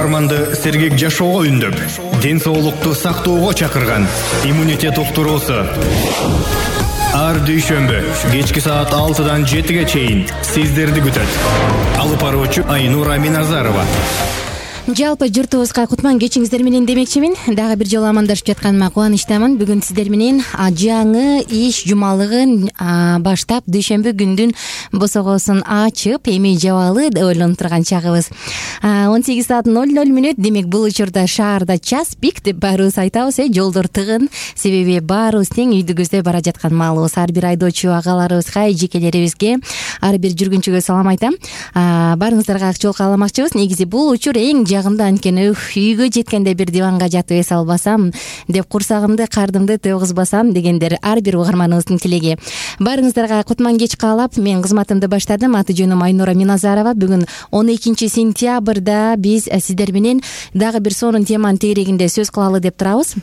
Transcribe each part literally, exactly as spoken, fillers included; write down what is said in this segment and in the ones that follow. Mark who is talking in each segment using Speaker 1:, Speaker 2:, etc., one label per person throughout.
Speaker 1: угарманды сергек жашоого үндөп, ден соолукту сактоого чакырган иммунитет уктуруусу. Ар дүйшөмбү кечки саат алтыдан жетиге чейин сиздерди күтөт. Алып баруучу Айнура Миназарова.
Speaker 2: Жалпы журтубузга кутман кечиңиздер менен демекчимин. Дагы бир жолу амандашып жатканыма кубанычтамын. Бүгүн сиздер менен жаңы иш жумалыгын баштап дүйшөмбү күндүн босогосун ачып, эми жабалы деп ойлонуп турган чагыбыз. он сегиз саат ноль ноль мүнөт. Демек бул учурда шаарда час пик деп баарыбыз айтабыз, э, жолдор тыгын. Себеби баарыбыз тең үйдү көздөй бара жаткан маалыбыз. Ар бир айдоочу агаларыбызга, эжекелерибизге, ар бир жүргүнчүгө салам айтам. Баарыңыздарга ак жол кааламакчыбыз. Негизи бул учур эң жагымда, анткени үйгө жеткенде бир диванга жатып эс албасам деп, курсагымды, кардымды тойгузбасам дегендер ар бир угарманыбыздын тилеги. Баарыңыздарга кутман кеч каалап, мен кызматымды баштадым. Аты жөнүм Айнура Миназарова. Бүгүн он экинчи сентябрда биз сиздер менен дагы бир сонун теманын тегерегинде сөз кылалы деп турабыз.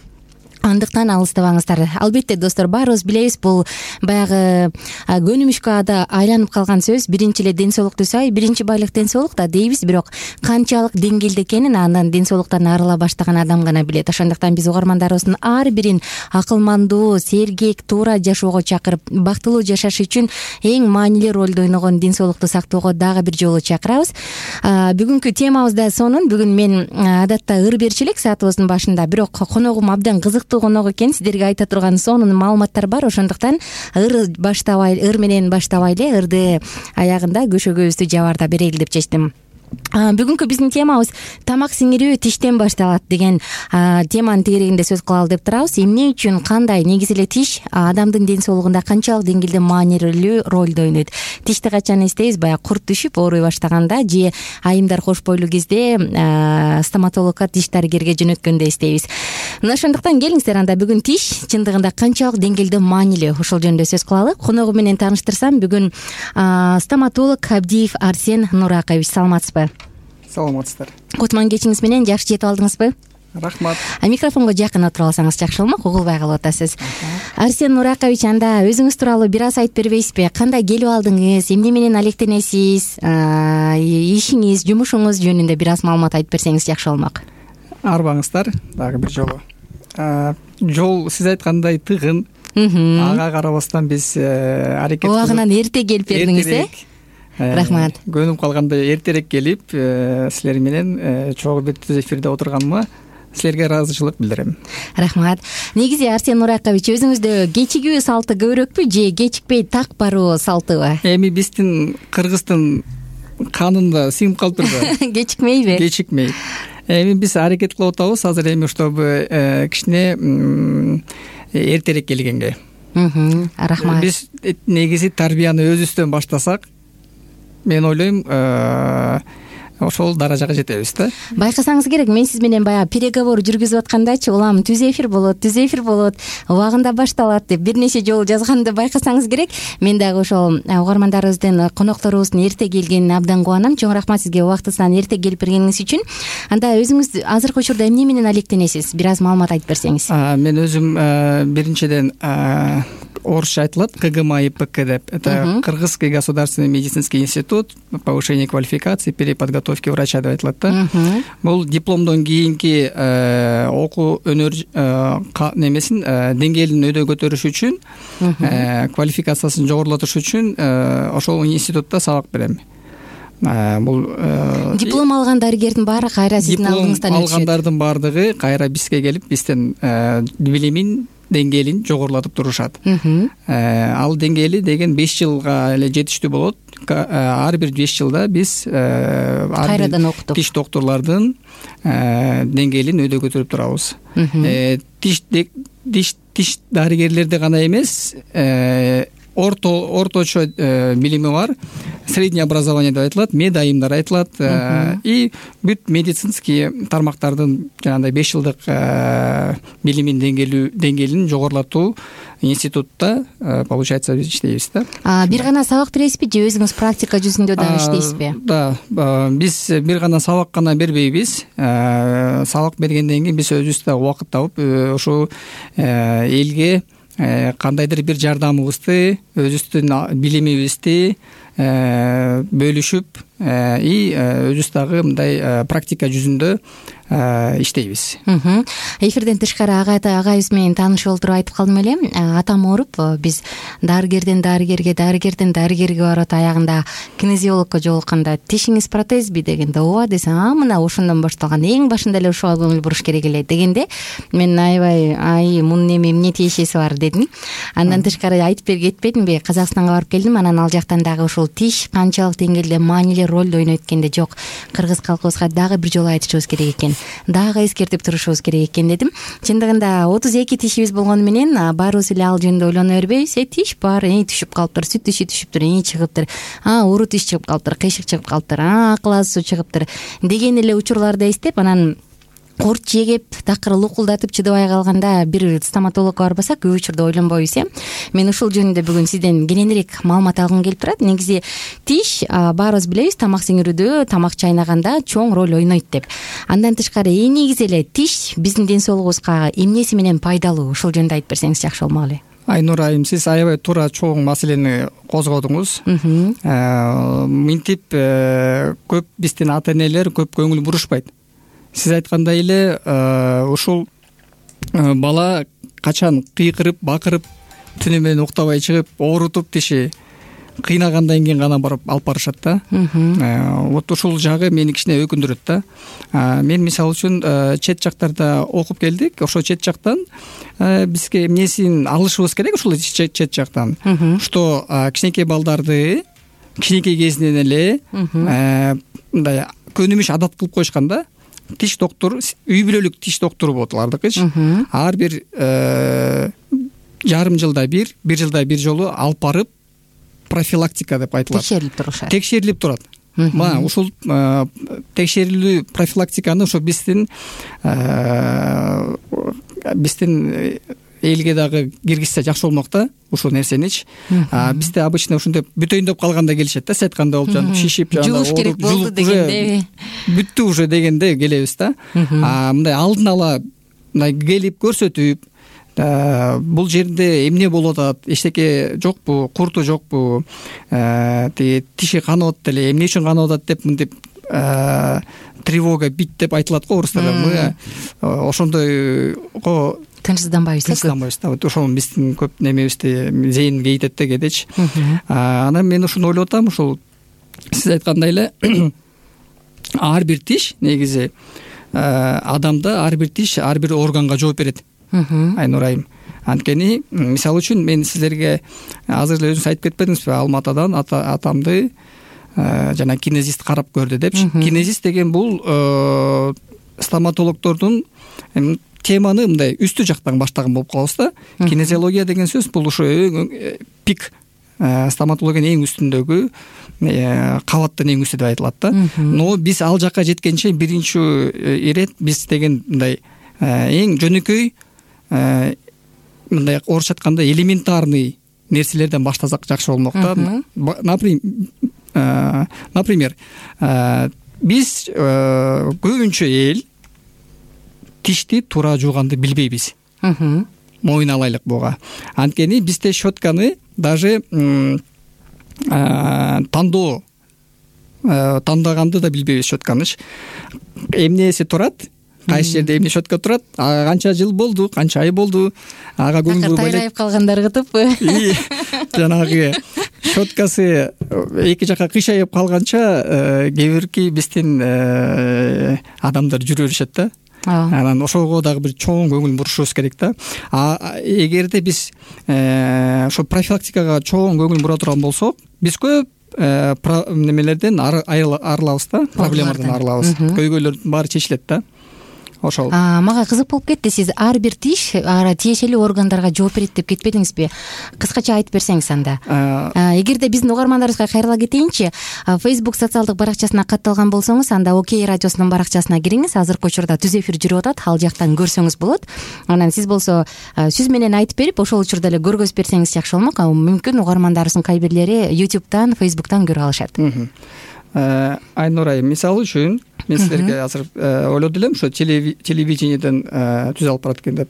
Speaker 2: Андыктан алыстабаңыздар. Албетте достор, баарыбыз билебиз, бул баягы көнүмүшкө айланып калган сөз. Биринчи эле ден соолукту сай, биринчи байлык ден соолук да дейбиз, бирок канчалык деңгээлде экенин андан ден соолуктан арыла баштаган адам гана билет. Ошондуктан биз угармандарыбыздын ар бирин акылмандуу, сергек, туура жашоого чакырып, бактылуу жашаш үчүн эң маанилүү ролду ойногон ден соолукту сактоого дагы бир жолу чакырабыз. Бүгүнкү темабыз да сонун. Бүгүн мен адатта ыр берчү элек саатыбыздын башында, бирок коногум абдан кызыктуу конок экен, сиздерге айта турган сонун маалыматтар бар. Ошондуктан ыр баштабай, ыр менен баштабайлы, ырды аягында көшөгөбүздү жабарда берели деп чечтим. Бүгүнкү биздин темабыз тамак сиңирүү тиштен башталат деген теманын тегерегинде сөз кылалы деп турабыз. Эмне үчүн, кандай, негизи эле тиш адамдын ден соолугунда канчалык деңгээлде маанилүү ролду ойнойт? Тишти качан эстейбиз? Баягы курт түшүп, ооруй баштаганда же айымдар кош бойлуу кезде стоматологко, тиш дарыгерге жөнөткөндө эстейбиз. Мына ошондуктан келиңиздер, анда бүгүн тиш чындыгында канчалык деңгээлде маанилүү, ошол жөнүндө сөз кылалы. Коногу менен тааныштырсам, бүгүн стоматолог Абдиев Арсен Нуракович. Саламатсызбы?
Speaker 3: Саламатсыздар.
Speaker 2: Кутман кечиңиз менен жакшы жетип алдыңызбы?
Speaker 3: Рахмат.
Speaker 2: Микрофонго жакын отуруп алсаңыз жакшы болмок, угулбай калып атасыз. Арсен Нуракович, анда өзүңүз тууралуу бир аз айтып бербейсизби? Кандай келип алдыңыз? Эмне менен алектенесиз? Ишиңиз, жумушуңуз жөнүндө бир аз маалымат айтып берсеңиз жакшы болмок.
Speaker 3: Арбаңыздар дагы бир жолу. Жол сиз айткандай тыгын. Ага карабастан биз аракет
Speaker 2: убагынан эрте келип бердиңиз, э? Рахмат.
Speaker 3: Көнүп калганда эртерээк келип, силер менен чогуу бир түз эфирде отурганыма силерге ыраазычылык билдирем.
Speaker 2: Рахмат. Негизи Арсен Нуракович, өзүңүздө кечигүү салты көбүрөкпү же кечикпей так баруу салтыбы?
Speaker 3: Эми биздин кыргыздын канында сиңип калыптырбы?
Speaker 2: Кечикмейби?
Speaker 3: Кечикмей. Эми биз аракет кылып атабыз азыр эми чтобы кичине эртерээк келгенге.
Speaker 2: Рахмат.
Speaker 3: Биз негизи тарбияны өзүбүздөн баштасак, мен ойлойм, ошол даражага жетебиз да.
Speaker 2: Байкасаңыз керек, мен сиз менен баягы переговор жүргүзүп аткандачы, улам түз эфир болот, түз эфир болот, убагында башталат деп бир нече жолу жазганды байкасаңыз керек. Мен дагы ошол угармандарыбыздын, конокторубуздун эрте келгенине абдан кубанам. Чоң рахмат сизге убактысынан эрте келип бергениңиз үчүн. Анда өзүңүз азыркы учурда эмне менен алектенесиз? Бир аз маалымат айтып берсеңиз.
Speaker 3: Мен өзүм биринчиден орусча айтылат ка гэ эм а и пэ ка деп. Это Кыргызский государственный медицинский институт повышения квалификации, переподготовки врача деп айтылат да. Бул дипломдон кийинки окуу өнөр немесин деңгээлин өйдө көтөрүш үчүн, квалификациясын жогорулатыш үчүн ошол институтта сабак берем. Бул
Speaker 2: диплом алган дарыгердин баары кайра сиздин алдыңыздан өтүшөт.
Speaker 3: Алгандардын баардыгы кайра бизге келип, бизден билимин деңгээлин жогорулатып турушат. Ал деңгээли деген беш жылга эле жетиштүү болот. Ар бир беш жылда биз
Speaker 2: кайрадан окуттук.
Speaker 3: Тиш доктурлардын деңгээлин өйдө көтөрүп турабыз. Тиш тиш дарыгерлерде гана эмес, орто орточо билими бар, среднее образование деп айтылат, мед айымдар айтылат, и бүт медицинский тармактардын жанагындай беш жылдык билимин деңгээлин жогорулатуу институтта получается биз иштейбиз да.
Speaker 2: Бир гана сабак бересизби же өзүңүз практика жүзүндө дагы иштейсизби?
Speaker 3: Да, биз бир гана сабак гана бербейбиз. Сабак бергенден кийин биз өзүбүз да убакыт табып ошо элге кандайдыр бир жардамыбызды, өзүбүздүн билимибизди бөлүшүп и өзүбүз дагы мындай практика жүзүндө иштейбиз.
Speaker 2: Эфирден тышкары агайыбыз менен таанышып олтуруп айтып калдым эле, атам ооруп, биз дарыгерден дарыгерге, дарыгерден дарыгерге барып аягында кинезиологко жолукканда тишиңиз протезби дегенде ооба десем, а мына ошондон башталган, эң башында эле ушуга көңүл буруш керек эле дегенде мен аябай ай мунун эми эмне тиешеси бар дедим. Андан тышкары айтып берип кетпедимби, Казакстанга барып келдим, анан ал жактан дагы ушул тиш канчалык деңгээлде маанилүү ролду ойнойт экенде, жок, кыргыз калкыбызга дагы бир жолу айтышыбыз керек экен, дагы эскертип турушубуз керек экен дедим. Чындыгында отуз эки тишибиз болгону менен баарыбыз эле ал жөнүндө ойлоно бербейбиз. Э тиш бар, э түшүп калыптыр, сүт тиши түшүптүр, э чыгыптыр, а уру тиш чыгып калыптыр, кыйшык чыгып калыптыр, а акыл азуу чыгыптыр деген эле учурларды эстеп, анан курт жегеп такыр лукулдатып чыдабай калганда бир стоматологко барбасак көп учурда ойлонбойбуз. Э мен ушул жөнүндө бүгүн сизден кененирээк маалымат алгым келип турат. Негизи тиш баарыбыз билебиз, тамак сиңирүүдө, тамак чайнаганда чоң роль ойнойт деп. Андан тышкары эң негизи эле тиш биздин ден соолугубузга эмнеси менен пайдалуу, ушул жөнүндө айтып берсеңиз жакшы болмок эле.
Speaker 3: Айнур айым, сиз аябай туура чоң маселени козгодуңуз. Мынтип көп биздин ата энелер көп көңүл бурушпайт. Сиз айткандай эле ушул бала качан кыйкырып, бакырып, түнү менен уктабай чыгып, оорутуп тиши кыйнагандан кийин гана барып алып барышат да. Вот ушул жагы мени кичине өкүндүрөт да. Мен мисалы үчүн чет жактарда окуп келдик. Ошо чет жактан бизге эмнесин алышыбыз керек ушул чет жактан. Что кичинекей балдарды кичинекей кезинен эле мындай көнүмүш адат кылып коюшкан да. Тиш доктуру, үй бүлөлүк тиш доктуру болот алардыкычы. Ар бир жарым жылда бир, бир жылда бир жолу алып барып профилактика деп айтылат.
Speaker 2: Текшерилип турушат.
Speaker 3: Текшерилип турат. Мына ушул текшерилүү профилактиканы ошо биздин биздин элге дагы киргизсе жакшы болмок да, ушул нерсеничи. Бизде обычно ушундай бүтөйүн деп калганда келишет да, сиз айткандай болуп жанагы шишип, жанагы
Speaker 2: жууш керек болду дегенде
Speaker 3: бүттү уже дегенде келебиз да. Мындай алдын ала мындай келип көрсөтүп, бул жерде эмне болуп атат, эчтеке жокпу, курту жокпу, тиги тиши канып атат эле, эмне үчүн канып атат деп мынтип тревога бит деп айтылат го орустарда. Мы ошондойго
Speaker 2: тынчсызданбайбыз.
Speaker 3: Тынчсызданбайбыз да. Вот ошол биздин көп немебизди зейин кейтет да кедечи. Анан мен ушуну ойлоп атам, ушул сиз айткандай эле ар бир тиш негизи адамда ар бир тиш ар бир органга жооп берет. Айнур айым. Анткени мисалы үчүн мен сиздерге азыр эле өзүңүз айтып кетпедиңизби, Алматадан атамды жана кинезист карап көрдү депчи. Кинезист деген бул стоматологдордун теманы мындай үстү жактан баштаган болуп калабыз да. Кинезиология деген сөз бул ушу пик стоматологиянын эң үстүндөгү кабаттын эң үстү деп айтылат да. Но биз ал жакка жеткенче биринчи ирет биз деген мындай эң жөнөкөй мындай орусча айтканда элементарный нерселерден баштасак жакшы болмок да. Например, биз көбүнчө эл тишти туура жууганды билбейбиз. Моюн алайлык буга. Анткени бизде щетканы даже тандоо тандаганды да билбейбиз щетканыч. Эмнеси турат? Кайсы жерде эмне щетка турат? Канча жыл болду, канча ай болду? Ага көңүл бурбай
Speaker 2: тайрайып калгандар кытыппы?
Speaker 3: Жанагы щеткасы эки жака кыйшайып калганча кээ бирки биздин адамдар жүрө беришет да. Анан ошого дагы бир чоң көңүл бурушубуз керек да. А эгерде биз ошо профилактикага чоң көңүл бура турган болсок, биз көп немелерден арылабыз да, проблемалардан арылабыз. Көйгөйлөрдүн баары чечилет да. Ошол.
Speaker 2: Мага кызык болуп кетти. Сиз ар бир тиш тиешелүү органдарга жооп берет деп кетпедиңизби? Кыскача айтып берсеңиз анда. Эгерде биздин угармандарыбызга кайрыла кетейинчи, Facebook социалдык баракчасына катталган болсоңуз, анда Окей радиосунун баракчасына кириңиз. Азыркы учурда түз эфир жүрүп атат, ал жактан көрсөңүз болот. Анан сиз болсо сүз менен айтып берип, ошол учурда эле көргөзүп берсеңиз жакшы болмок. Мүмкүн угармандарыбыздын кай бирлери YouTube'дан, Facebook'тан көрүп алышат.
Speaker 3: Айнур айым, мисалы үчүн мен сиздерге азыр ойлоду элем, ошо телевидениеден түз алып барат экен деп.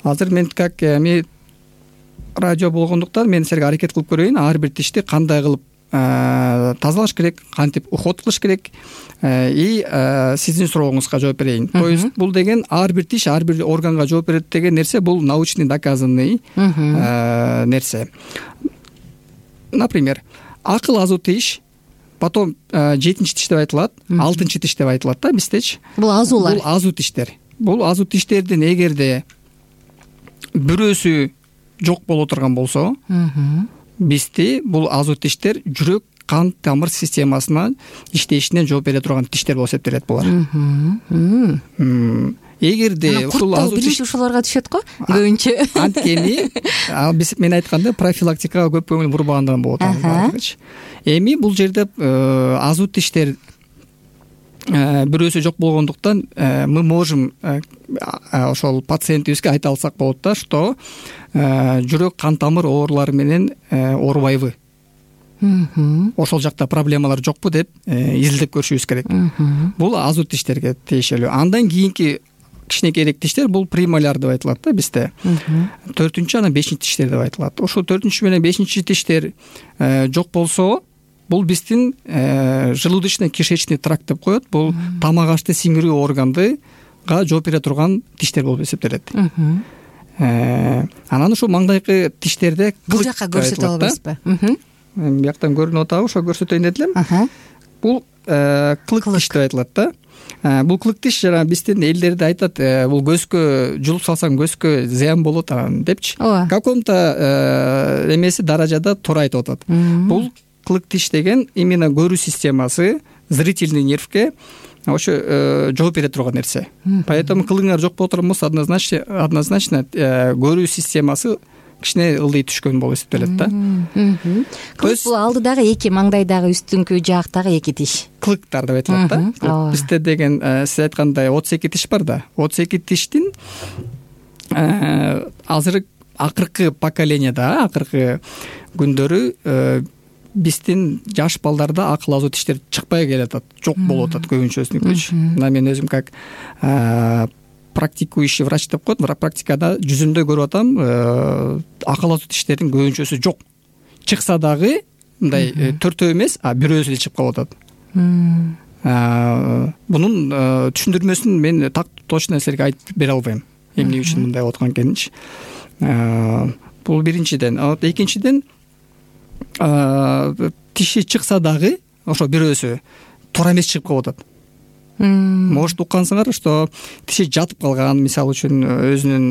Speaker 3: Азыр мен как эми радио болгондуктан мен силерге аракет кылып көрөйүн, ар бир тишти кандай кылып тазалаш керек, кантип уход кылыш керек. И сиздин сурооңузга жооп берейин. То есть бул деген ар бир тиш ар бир органга жооп берет деген нерсе бул научный доказанный нерсе. Например, акыл азуу тиш, потом жетинчи тиш деп айтылат, алтынчы тиш деп айтылат да биздечи.
Speaker 2: Бул азуулар.
Speaker 3: Бул азуу тиштер. Бул азуу тиштердин эгерде бирөөсү жок боло турган болсо, бизде бул азуу тиштер жүрөк кан тамыр системасына иштешине жооп бере турган тиштер болуп эсептелет булар. Эгерде ушул азуу тиш
Speaker 2: ушуларга түшөт го көбүнчө.
Speaker 3: Анткени биз мен айтканда профилактикага көп көңүл бурбагандан болот баардыгычы. Эми бул жерде азуу тиштер бирөөсү жок болгондуктан мы можем ошол пациентибизге айта алсак болот да, что жүрөк кан тамыр оорулары менен оорубайбы, ошол жакта проблемалар жокпу деп изилдеп көрүшүбүз керек. Бул азуу тиштерге тиешелүү. Андан кийинки кичинекейирээк тиштер бул премоляр деп айтылат да бизде. Төртүнчү анан бешинчи тиштер деп айтылат. Ошол төртүнчү менен бешинчи тиштер жок болсо, бул биздин желудочно-кишечный тракт деп коет. Бул тамак ашты сиңирүү органдыга жооп бере турган тиштер болуп эсептелет. Анан ушул маңдайкы тиштерде
Speaker 2: бул жакка көрсөтө албайсызбы?
Speaker 3: Бияктан көрүнүп атабы, ошо көрсөтөйүн дедим элем. Бул кылык тиш деп айтылат да. Бул кылык тиш жана биздин элдерде айтат, бул көзгө жулуп салсаң көзгө зыян болот анан депчи. Каком-то эмеси даражада туура айтып атат. Бул кылык тиш деген именно көрүү системасы, зрительный нервге ошо жооп бере турган нерсе. Поэтому кылыңар жок боло турган болсо однозначно однозначно көрүү системасы кичине ылдый түшкөн болуп эсептелет да.
Speaker 2: То есть бул алдыдагы эки маңдайдагы үстүңкү жактагы эки тиш.
Speaker 3: Кылыктар деп айтылат да. Бизде деген сиз айткандай отуз эки тиш бар да. отуз эки тиштин азыр акыркы поколениеда, акыркы күндөрү биздин жаш балдарда акыл азуу тиштер чыкпай келатат, жок болуп атат көбүнчөсүнүкүчү. Мына мен өзүм как практикующий врач деп коет, практикада жүзүмдө көрүп атам, акыл азуу тиштердин көбүнчөсү жок. Чыкса дагы мындай төртөө эмес, а бирөөсү эле чыгып калып атат. Бунун түшүндүрмөсүн мен так точно силерге айтып бере албайм. Эмне үчүн мындай болуп аткан экенинчи. Бул биринчиден. Экинчиден, тиши чыкса дагы ошо бирөөсү туура эмес чыгып калып атат. Может уккансыңар, что тиши жатып калган, мисалы үчүн өзүнүн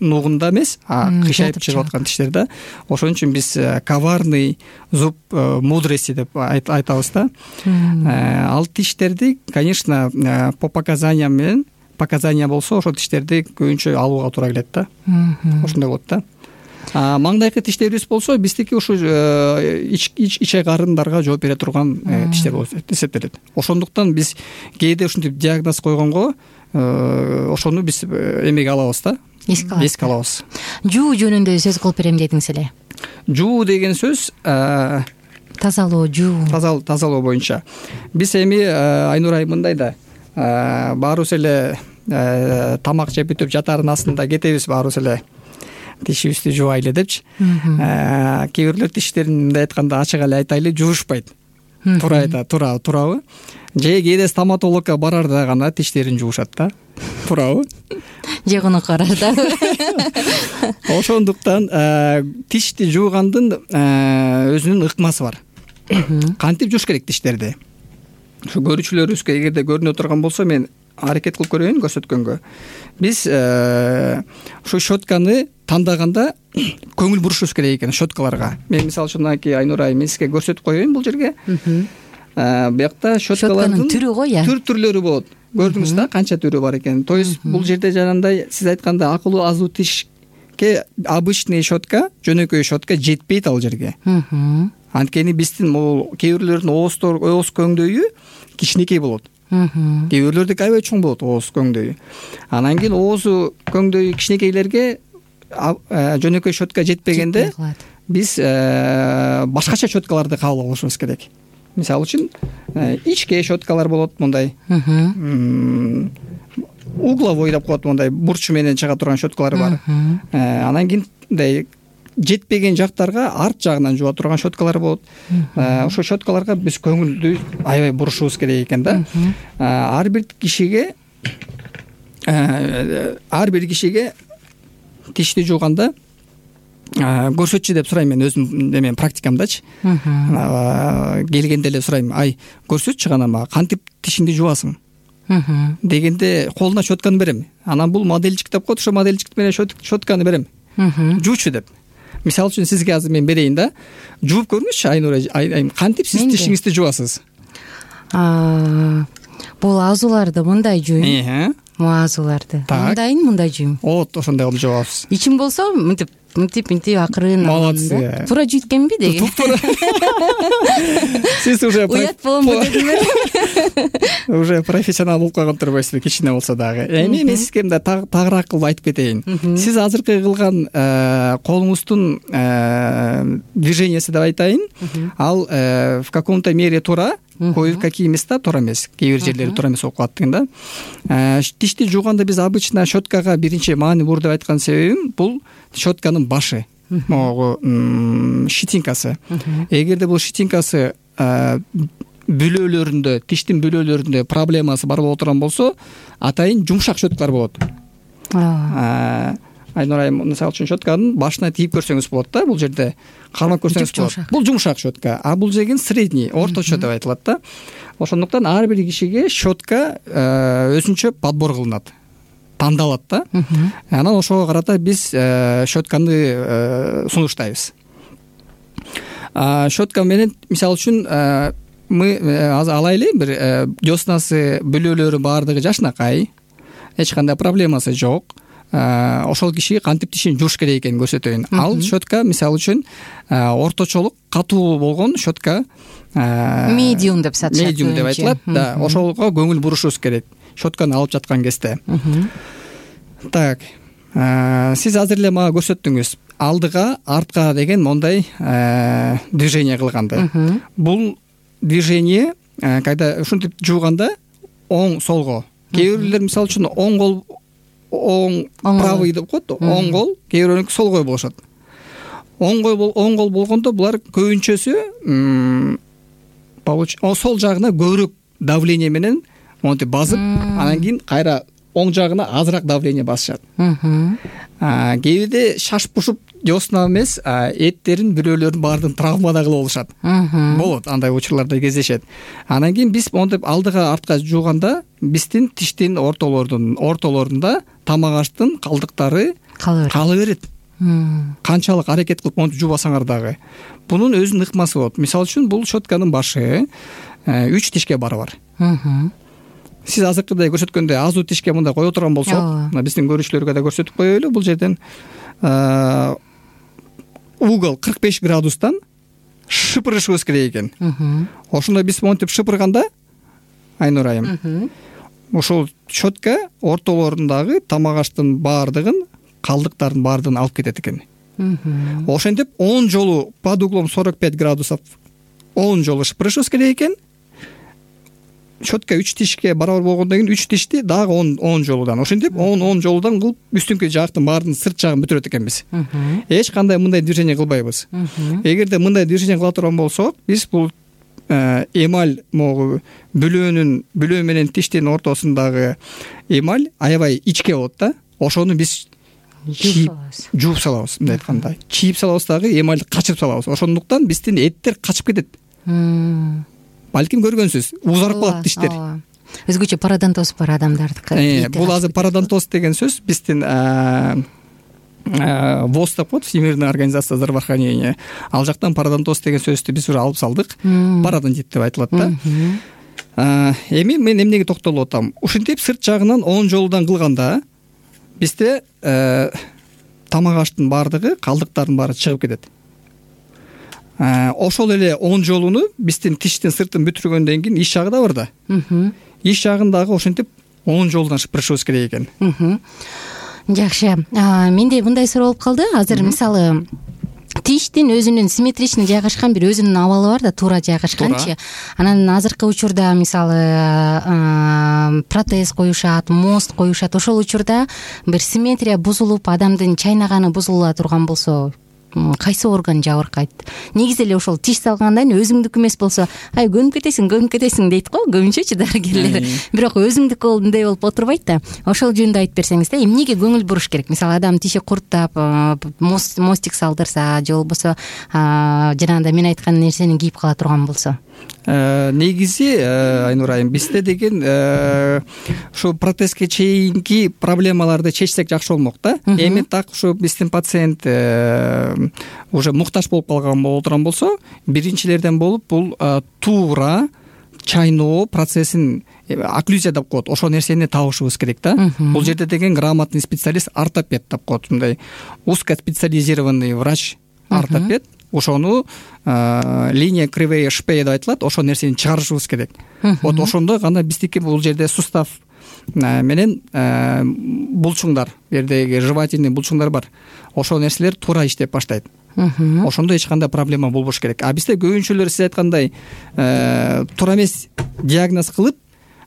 Speaker 3: нугунда эмес, а кыйшайып чыгып аткан тиштер да. Ошон үчүн биз коварный зуб мудрости деп айтабыз да. Ал тиштерди, конечно, по показаниям менен, показания болсо ошол тиштерди көбүнчө алууга туура келет да. Ошондой болот да. Маңдайкы тиштерибиз болсо, биздики ушу иче карындарга жооп бере турган тиштер болуп эсептелет. Ошондуктан биз кээде ушинтип диагноз койгонго ошону биз эмеге алабыз да, эске алабыз.
Speaker 2: Жуу жөнүндө сөз кылып берем дедиңиз эле.
Speaker 3: Жуу деген сөз
Speaker 2: тазалоо, жуу.
Speaker 3: Тазалоо боюнча. Биз эми Айнур айым мындай да, баарыбыз эле тамак жеп бүтүп жатардын астында кетебиз, баарыбыз эле тишибизди жуубайлы депчи. Кээ бирлер тиштерин мындай айтканда ачык эле айтайлы, жуушпайт. Туура айтат, туура, туурабы? Же кээде стоматологко барарда гана тиштерин жуушат да. Туурабы?
Speaker 2: Же гонок карарда.
Speaker 3: Ошондуктан тишти жуугандын өзүнүн ыкмасы бар. Кантип жууш керек тиштерди? Ушу көрүүчүлөрүбүзгө эгерде көрүнө турган болсо, мен аракет кылып көрөйүн көрсөткөнгө. Биз ушу щетканы тандаганда көңүл бурушубуз керек экен щеткаларга. Мен мисалы үчүн мынакей Айнур айым сизге көрсөтүп коеюн бул жерге. Буякта щеткалардын
Speaker 2: түрү го, я.
Speaker 3: Түр-түрлөрү болот. Көрдүңүз да канча түрү бар экенин. То есть бул жерде жанагындай сиз айткандай акыл азуу тишке обычный щетка, жөнөкөй щетка жетпейт ал жерге. Анткени биздин бул кээ бирлердин ооздор, ооз көңдөйү кичинекей болот. Кээ бирлердики аябай чоң болот ооз көңдөйү. Анан кийин оозу көңдөйү кичинекейлерге жөнөкөй щетка жетпегенде биз башкача щеткаларды кабыл алышыбыз керек. Мисалы үчүн ичке щеткалар болот, мындай угловой деп коет, мындай бурчу менен чыга турган щеткалар бар. Анан кийин мындай жетпеген жактарга арт жагынан жууа турган щеткалар болот. Ошол щеткаларга биз көңүлдү аябай бурушубуз керек экен да. Ар бир кишиге ар бир кишиге тишти жууганда көрсөтчү деп сурайм мен өзүм эмен практикамдачы. Келгенде эле сурайм, ай көрсөтчү гана мага кантип тишиңди жуасың дегенде колуна щетканы берем. Анан бул модельчик деп коет, ошо модельчик менен щетканы берем. Жуучу деп. Мисалы үчүн сизге азыр мен берейин да. Жууп көрүңүзчү Айнура айым, кантип сиз тишиңизди жуасыз?
Speaker 2: Бул азууларды мындай жуйм. Азууларды мындайын мындай жуйм.
Speaker 3: Вот ошондой кылып жуабыз.
Speaker 2: Ичим болсо мынтип мынтип мынтип акырын.
Speaker 3: Молодцы.
Speaker 2: Туура жүйткөнбү деген.
Speaker 3: Сиз уже
Speaker 2: уят боломбу дедимер.
Speaker 3: Уже профессионал болуп калган турбайсызбы, кичине болсо дагы. Эми мен сизге мындай тагыраак кылып айтып кетейин. Сиз азыркы кылган колуңуздун движениясы деп айтайын, ал в каком-то мере туура, кое-какие места туура эмес, кээ бир жерлери туура эмес болуп калат деген да. Тишти жууганда биз обычно щеткага биринчи маани бур деп айткан себебим бул щетканын башы, могу щетинкасы. Эгерде бул щетинкасы бүлөлөрүндө, тиштин бүлөлөрүндө проблемасы бар боло турган болсо, атайын жумшак щеткалар болот. Айнура айым, мисалы үчүн щетканын башына тийип көрсөңүз болот да, бул жерде кармап көрсөңүз болот. Бул жумшак щетка, а бул деген средний, орточо деп айтылат да. Ошондуктан ар бир кишиге щетка өзүнчө подбор кылынат, тандалат да. Анан ошого карата биз щетканы сунуштайбыз. Щетка менен мисалы үчүн мы алайлы бир деснасы бүлөлөрү баардыгы жашынакай, эч кандай проблемасы жок. Ошол киши кантип тишин жууш керек экенин көрсөтөйүн. Ал щетка мисалы үчүн орточолук катуу болгон щетка,
Speaker 2: медиум деп сатышат.
Speaker 3: Медиум деп айтылат да. Ошолго көңүл бурушубуз керек щетканы алып жаткан кезде. Так, сиз азыр эле мага көрсөттүңүз алдыга, артка деген мондай движение кылганды. Бул движение кайда ушинтип жууганда оң солго, кээ бирлер мисалы үчүн оң кол оң правый деп коет, оң кол, кээ бирөөнүкү сол кол болушат. Оң кол оң кол болгондо булар көбүнчөсү сол жагына көбүрөөк давление менен монтип басып, анан кийин кайра оң жагына азыраак давление басышат. Кээ бирде шашып бушуп десна эмес, эттерин, бүлөлөрүн баардыгын травмада кылып алышат. Болот, андай учурларда кездешет. Анан кийин биз монтип алдыга, артка жууганда биздин тиштин ортолордун ортолорунда тамак аштын калдыктары кала берет. Канчалык аракет кылып монтип жуубасаңар дагы. Бунун өзүнүн ыкмасы болот. Мисалы үчүн бул щетканын башы үч тишке барабар. Сиз азыркыдай көрсөткөндөй азуу тишке мындай кое турган болсок, биздин көрүүчүлөргө да көрсөтүп коелу, бул жерден угол кырк беш градустан шыпырышыбыз керек экен. Ошондо биз монтип шыпырганда, Айнура айым, ошол щетка ортолорундагы тамак аштын баардыгын, калдыктардын баардыгын алып кетет экен. Ошентип он жолу под углом сорок пять градусов он жолу шыпырышыбыз керек экен. Щетка үч тишке барабар болгондон кийин үч тишти дагы он жолудан, ошентип он он жолудан кылып үстүнкү жактын баардыгын сырт жагын бүтүрөт экенбиз. Эч кандай мындай движение кылбайбыз. Эгерде мындай движение кыла турган болсок, биз бул эмаль могу бүлөөнүн бүлөө менен тиштин ортосундагы эмаль аябай ичке болот да. Ошону биз жууп салабыз, мындай айтканда. Чийип салабыз дагы, эмальди качырып салабыз. Ошондуктан биздин эттер качып кетет. Балким көргөнсүз, узарып калат тиштер.
Speaker 2: Өзгөчө пародонтоз бар адамдардыкы.
Speaker 3: Бул азыр пародонтоз деген сөз биздин ВОЗ деп коет, Всемирная организация здравоохранения. Ал жактан пародонтоз деген сөздү биз уже алып салдык. Пародонтит деп айтылат да. Эми мен эмнеге токтолуп атам? Ушинтип сырт жагынан он жолудан кылганда бизде тамак аштын баардыгы, калдыктардын баары чыгып кетет. Ошол эле он жолуну биздин тиштин сыртын бүтүргөндөн кийин иш жагы да бар да. Иш жагын дагы ошентип он жолудан шыпырышыбыз керек экен.
Speaker 2: Жакшы. Менде мындай суроо болуп калды. Азыр мисалы тиштин өзүнүн симметричный жайгашкан бир өзүнүн абалы бар да, туура жайгашканчы. Анан азыркы учурда мисалы протез коюшат, мост коюшат. Ошол учурда бир симметрия бузулуп, адамдын чайнаганы бузула турган болсо, кайсы орган жабыркайт? Негизи эле ошол тиш салгандан кийин өзүңдүкү эмес болсо ай көнүп кетесиң көнүп кетесиң дейт го көбүнчөчү дарыгерлер. Бирок өзүңдүкү болду мындай болуп отурбайт да. Ошол жөнүндө айтып берсеңиз да, эмнеге көңүл буруш керек? Мисалы адам тиши курттап мостик салдырса же болбосо жанагындай мен айткан нерсени кийип кала турган болсо.
Speaker 3: Негизи Айнура айым бизде деген ушу протезге чейинки проблемаларды чечсек жакшы болмок да. Эми так ушу биздин пациент уже муктаж болуп калган боло турган болсо, биринчилерден болуп бул туура чайноо процессин окклюзия деп коет. Ошол нерсени табышыбыз керек да. Бул жерде деген грамотный специалист, ортопед деп коет. Мындай узкоспециализированный врач, ортопед. Ошону линия кривые шпея деп айтылат. Ошол нерсени чыгарышыбыз керек. Вот ошондо гана биздики бул жерде сустав менен булчуңдар, бу жердеги жевательный булчуңдар бар. Ошол нерселер туура иштеп баштайт. Ошондо эч кандай проблема болбош керек. А бизде көбүнчөлөр сиз айткандай туура эмес диагноз кылып,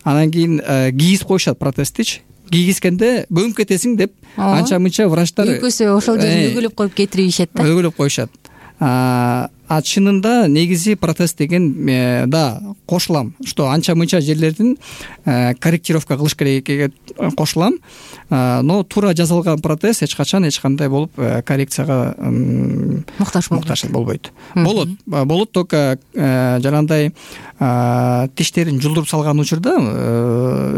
Speaker 3: анан кийин кийгизип коюшат протездичи. Кийгизгенде көнүп кетесиң деп анча мынча врачтар
Speaker 2: экөөсү ошол жерин өгүлөп коюп кетирип ийишет да.
Speaker 3: Өгүлөп коюшат. А чынында негизи протез деген да кошулам, что анча мынча жерлердин корректировка кылыш керек экенге кошулам, но туура жасалган протез эч качан эч кандай болуп коррекцияга муктаж болбойт. Болот, болот только жанагындай тиштерин жулдуруп салган учурда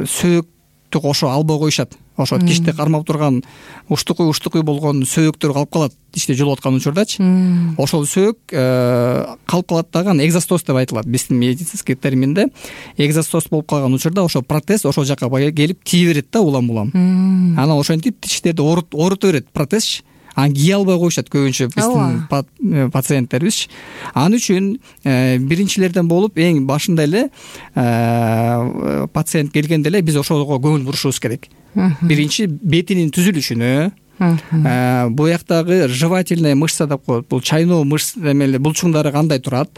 Speaker 3: сөөктү кошо албай коюшат. Ошо тишти кармап турган уштукуй уштукуй болгон сөөктөр калып калат тишти жулуп аткан учурдачы. Ошол сөөк калып калат дагы экзостоз деп айтылат биздин медицинский терминде. Экзостоз болуп калган учурда ошо протез ошол жака келип тие берет да улам-улам. Анан ошентип тиштерди оорута берет протезчи. Аны кие албай коюшат көбүнчө биздин пациенттерибиз. Ал үчүн биринчилерден болуп эң башында эле пациент келгенде эле биз ошого көңүл бурушубуз керек. Биринчи бетинин түзүлүшүнө, буяктагы жевательная мышца деп коет. Бул чайноо мышца эмеле булчуңдары кандай турат?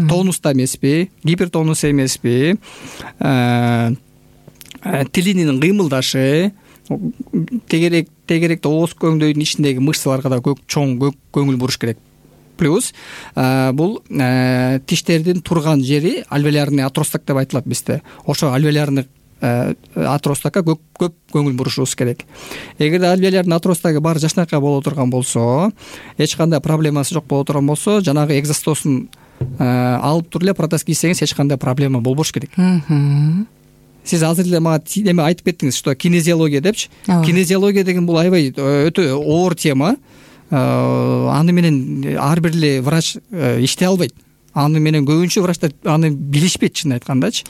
Speaker 3: Тонуста эмеспи, гипертонус эмеспи? Тилинин кыймылдашы, тегерек тегеректе ооз көңдөйдүн ичиндеги мышцаларга да чоң көңүл буруш керек. Плюс бул тиштердин турган жери альвеолярный отросток деп айтылат бизде. Ошо альвеолярный отростокко көп көп көңүл бурушубуз керек. Эгерде альвеолярный отростогу баары жакшынакай боло турган болсо, эч кандай проблемасы жок боло турган болсо, жанагы экзостозун алып туруп эле протез кийсеңиз эч кандай проблема болбош керек. Сиз азыр эле мага эме айтып кеттиңиз, что кинезиология депчи. Кинезиология деген бул аябай өтө оор тема. Аны менен ар бир эле врач иштей албайт. Аны менен көбүнчө врачтар аны билишпейт, чын айткандачы.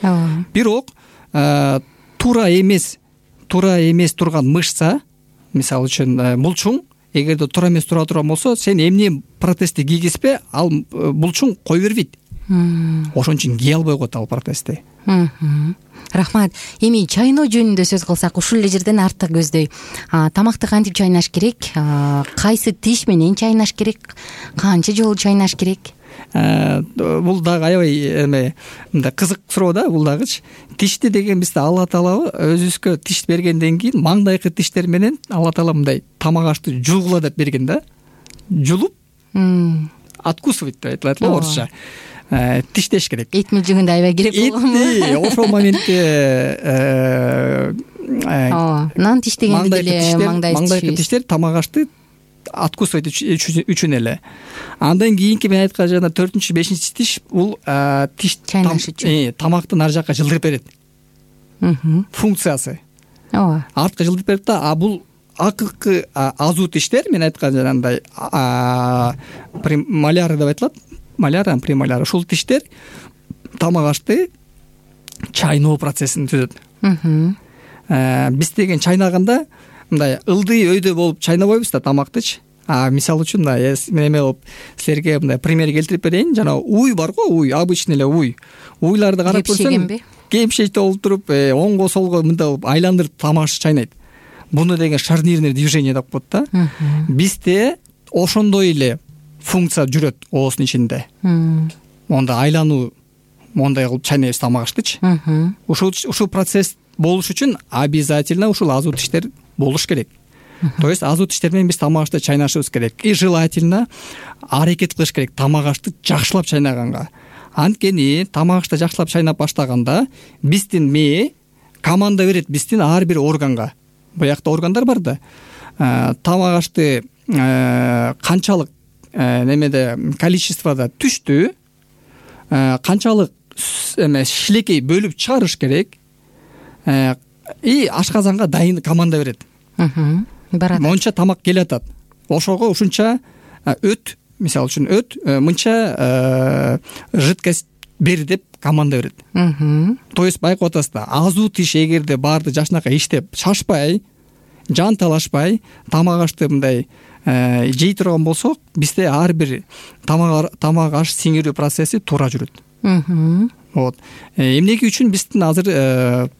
Speaker 3: Бирок туура эмес, туура эмес турган мышца, мисалы үчүн булчуң, эгерде туура эмес тура турган болсо, сен эмне протезди кийгизбе, ал булчуң кой бербейт. Ошон үчүн кие албай коет ал протезди.
Speaker 2: Рахмат. Эми чайноо жөнүндө сөз кылсак, ушул эле жерден артык көздөй. Тамакты кантип чайнаш керек? Кайсы тиш менен чайнаш керек? Канча жолу чайнаш керек?
Speaker 3: Бул дагы аябай эме мындай кызык суроо да, бул дагычы. Тишти деген бизде Алла Таала өзүбүзгө тиш бергенден кийин маңдайкы тиштер менен Алла Таала мындай тамак ашты жулгула деп берген да. Жулуп откусывать деп айтылат го орусча. Тиштеш керек. Эт
Speaker 2: мүлжүгүндө аябай керек болгон.
Speaker 3: Ошол моментте
Speaker 2: нан тиш дегенде деле
Speaker 3: маңдайкы тиштер тамак ашты откусывать үчүн эле. Андан кийинки мен айткан жана төртүнчү, бешинчи тиш бул тиш
Speaker 2: чайнаш үчүн.
Speaker 3: Тамакты нар жакка жылдырып берет. Функциясы.
Speaker 2: Ооба.
Speaker 3: Артка жылдырып берет да, а бул акыркы азуу тиштер мен айткан жанагындай премоляры деп айтылат. Маляр, премоляр. Ушул тиштер тамак ашты чайноо процессин түзөт. Биз деген чайнаганда мындай ылдый өйдө болуп чайнабайбыз да тамактычы. А мисалы үчүн мына мен эме болуп силерге мындай пример келтирип берейин. Жана уй бар го, уй, обычный эле уй. Уйларды карап көрсөң, кемшекте болуп туруп, оңго солго мындай болуп айландырып тамак чайнайт. Буну деген шарнирный движение деп коет да. Бизде ошондой эле функция жүрөт оозунун ичинде. Монда айлануу, мондай кылып чайнайбыз тамак аштычы. Ушул ушул процесс болуш үчүн обязательно ушул азуу тиштер болуш керек. То есть азуу тиштер менен биз тамак ашты чайнашыбыз керек и желательно аракет кылыш керек тамак ашты жакшылап чайнаганга. Анткени тамак ашты жакшылап чайнап баштаганда биздин мээ команда берет биздин ар бир органга. Буякта органдар бар да. Тамак ашты канчалык немеде количествода түштү, канчалык эме шилекей бөлүп чыгарыш керек. И ашказанга дайын команда берет.
Speaker 2: Барат.
Speaker 3: Монча тамак келатат. Ошого ушунча өт, мисалы үчүн өт, мынча жидкость бер деп команда берет. То есть байкап атасыздар, азуу тиш эгерде баарды жашынакай иштеп шашпай, жан талашпай, тамак ашты мындай жей турган болсок, бизде ар бир тамак тамак аш сиңирүү процесси туура жүрөт. Вот. Эмнеге үчүн биздин азыр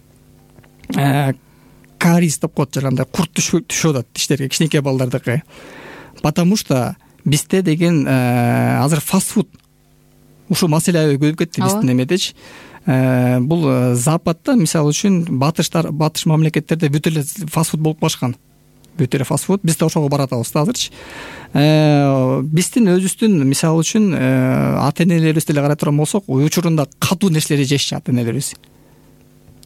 Speaker 3: кариес деп коет, жарандай курт түшүп атат тиштерге, кичинекей балдардыкы. Потому что бизде деген азыр фастфуд ушу маселе аябай көбөйүп кетти биздин эмедечи. Бул Западта, мисалы үчүн батыштар, батыш мамлекеттерде бүт эле фастфуд болуп калышкан. Бүт эле фастфуд, биз да ошого баратабыз да азырчы. Биздин өзүбүздүн мисалы үчүн ата-энелерибиз деле карай турган болсок, учурунда катуу нерселерди жешчү ата-энелерибиз.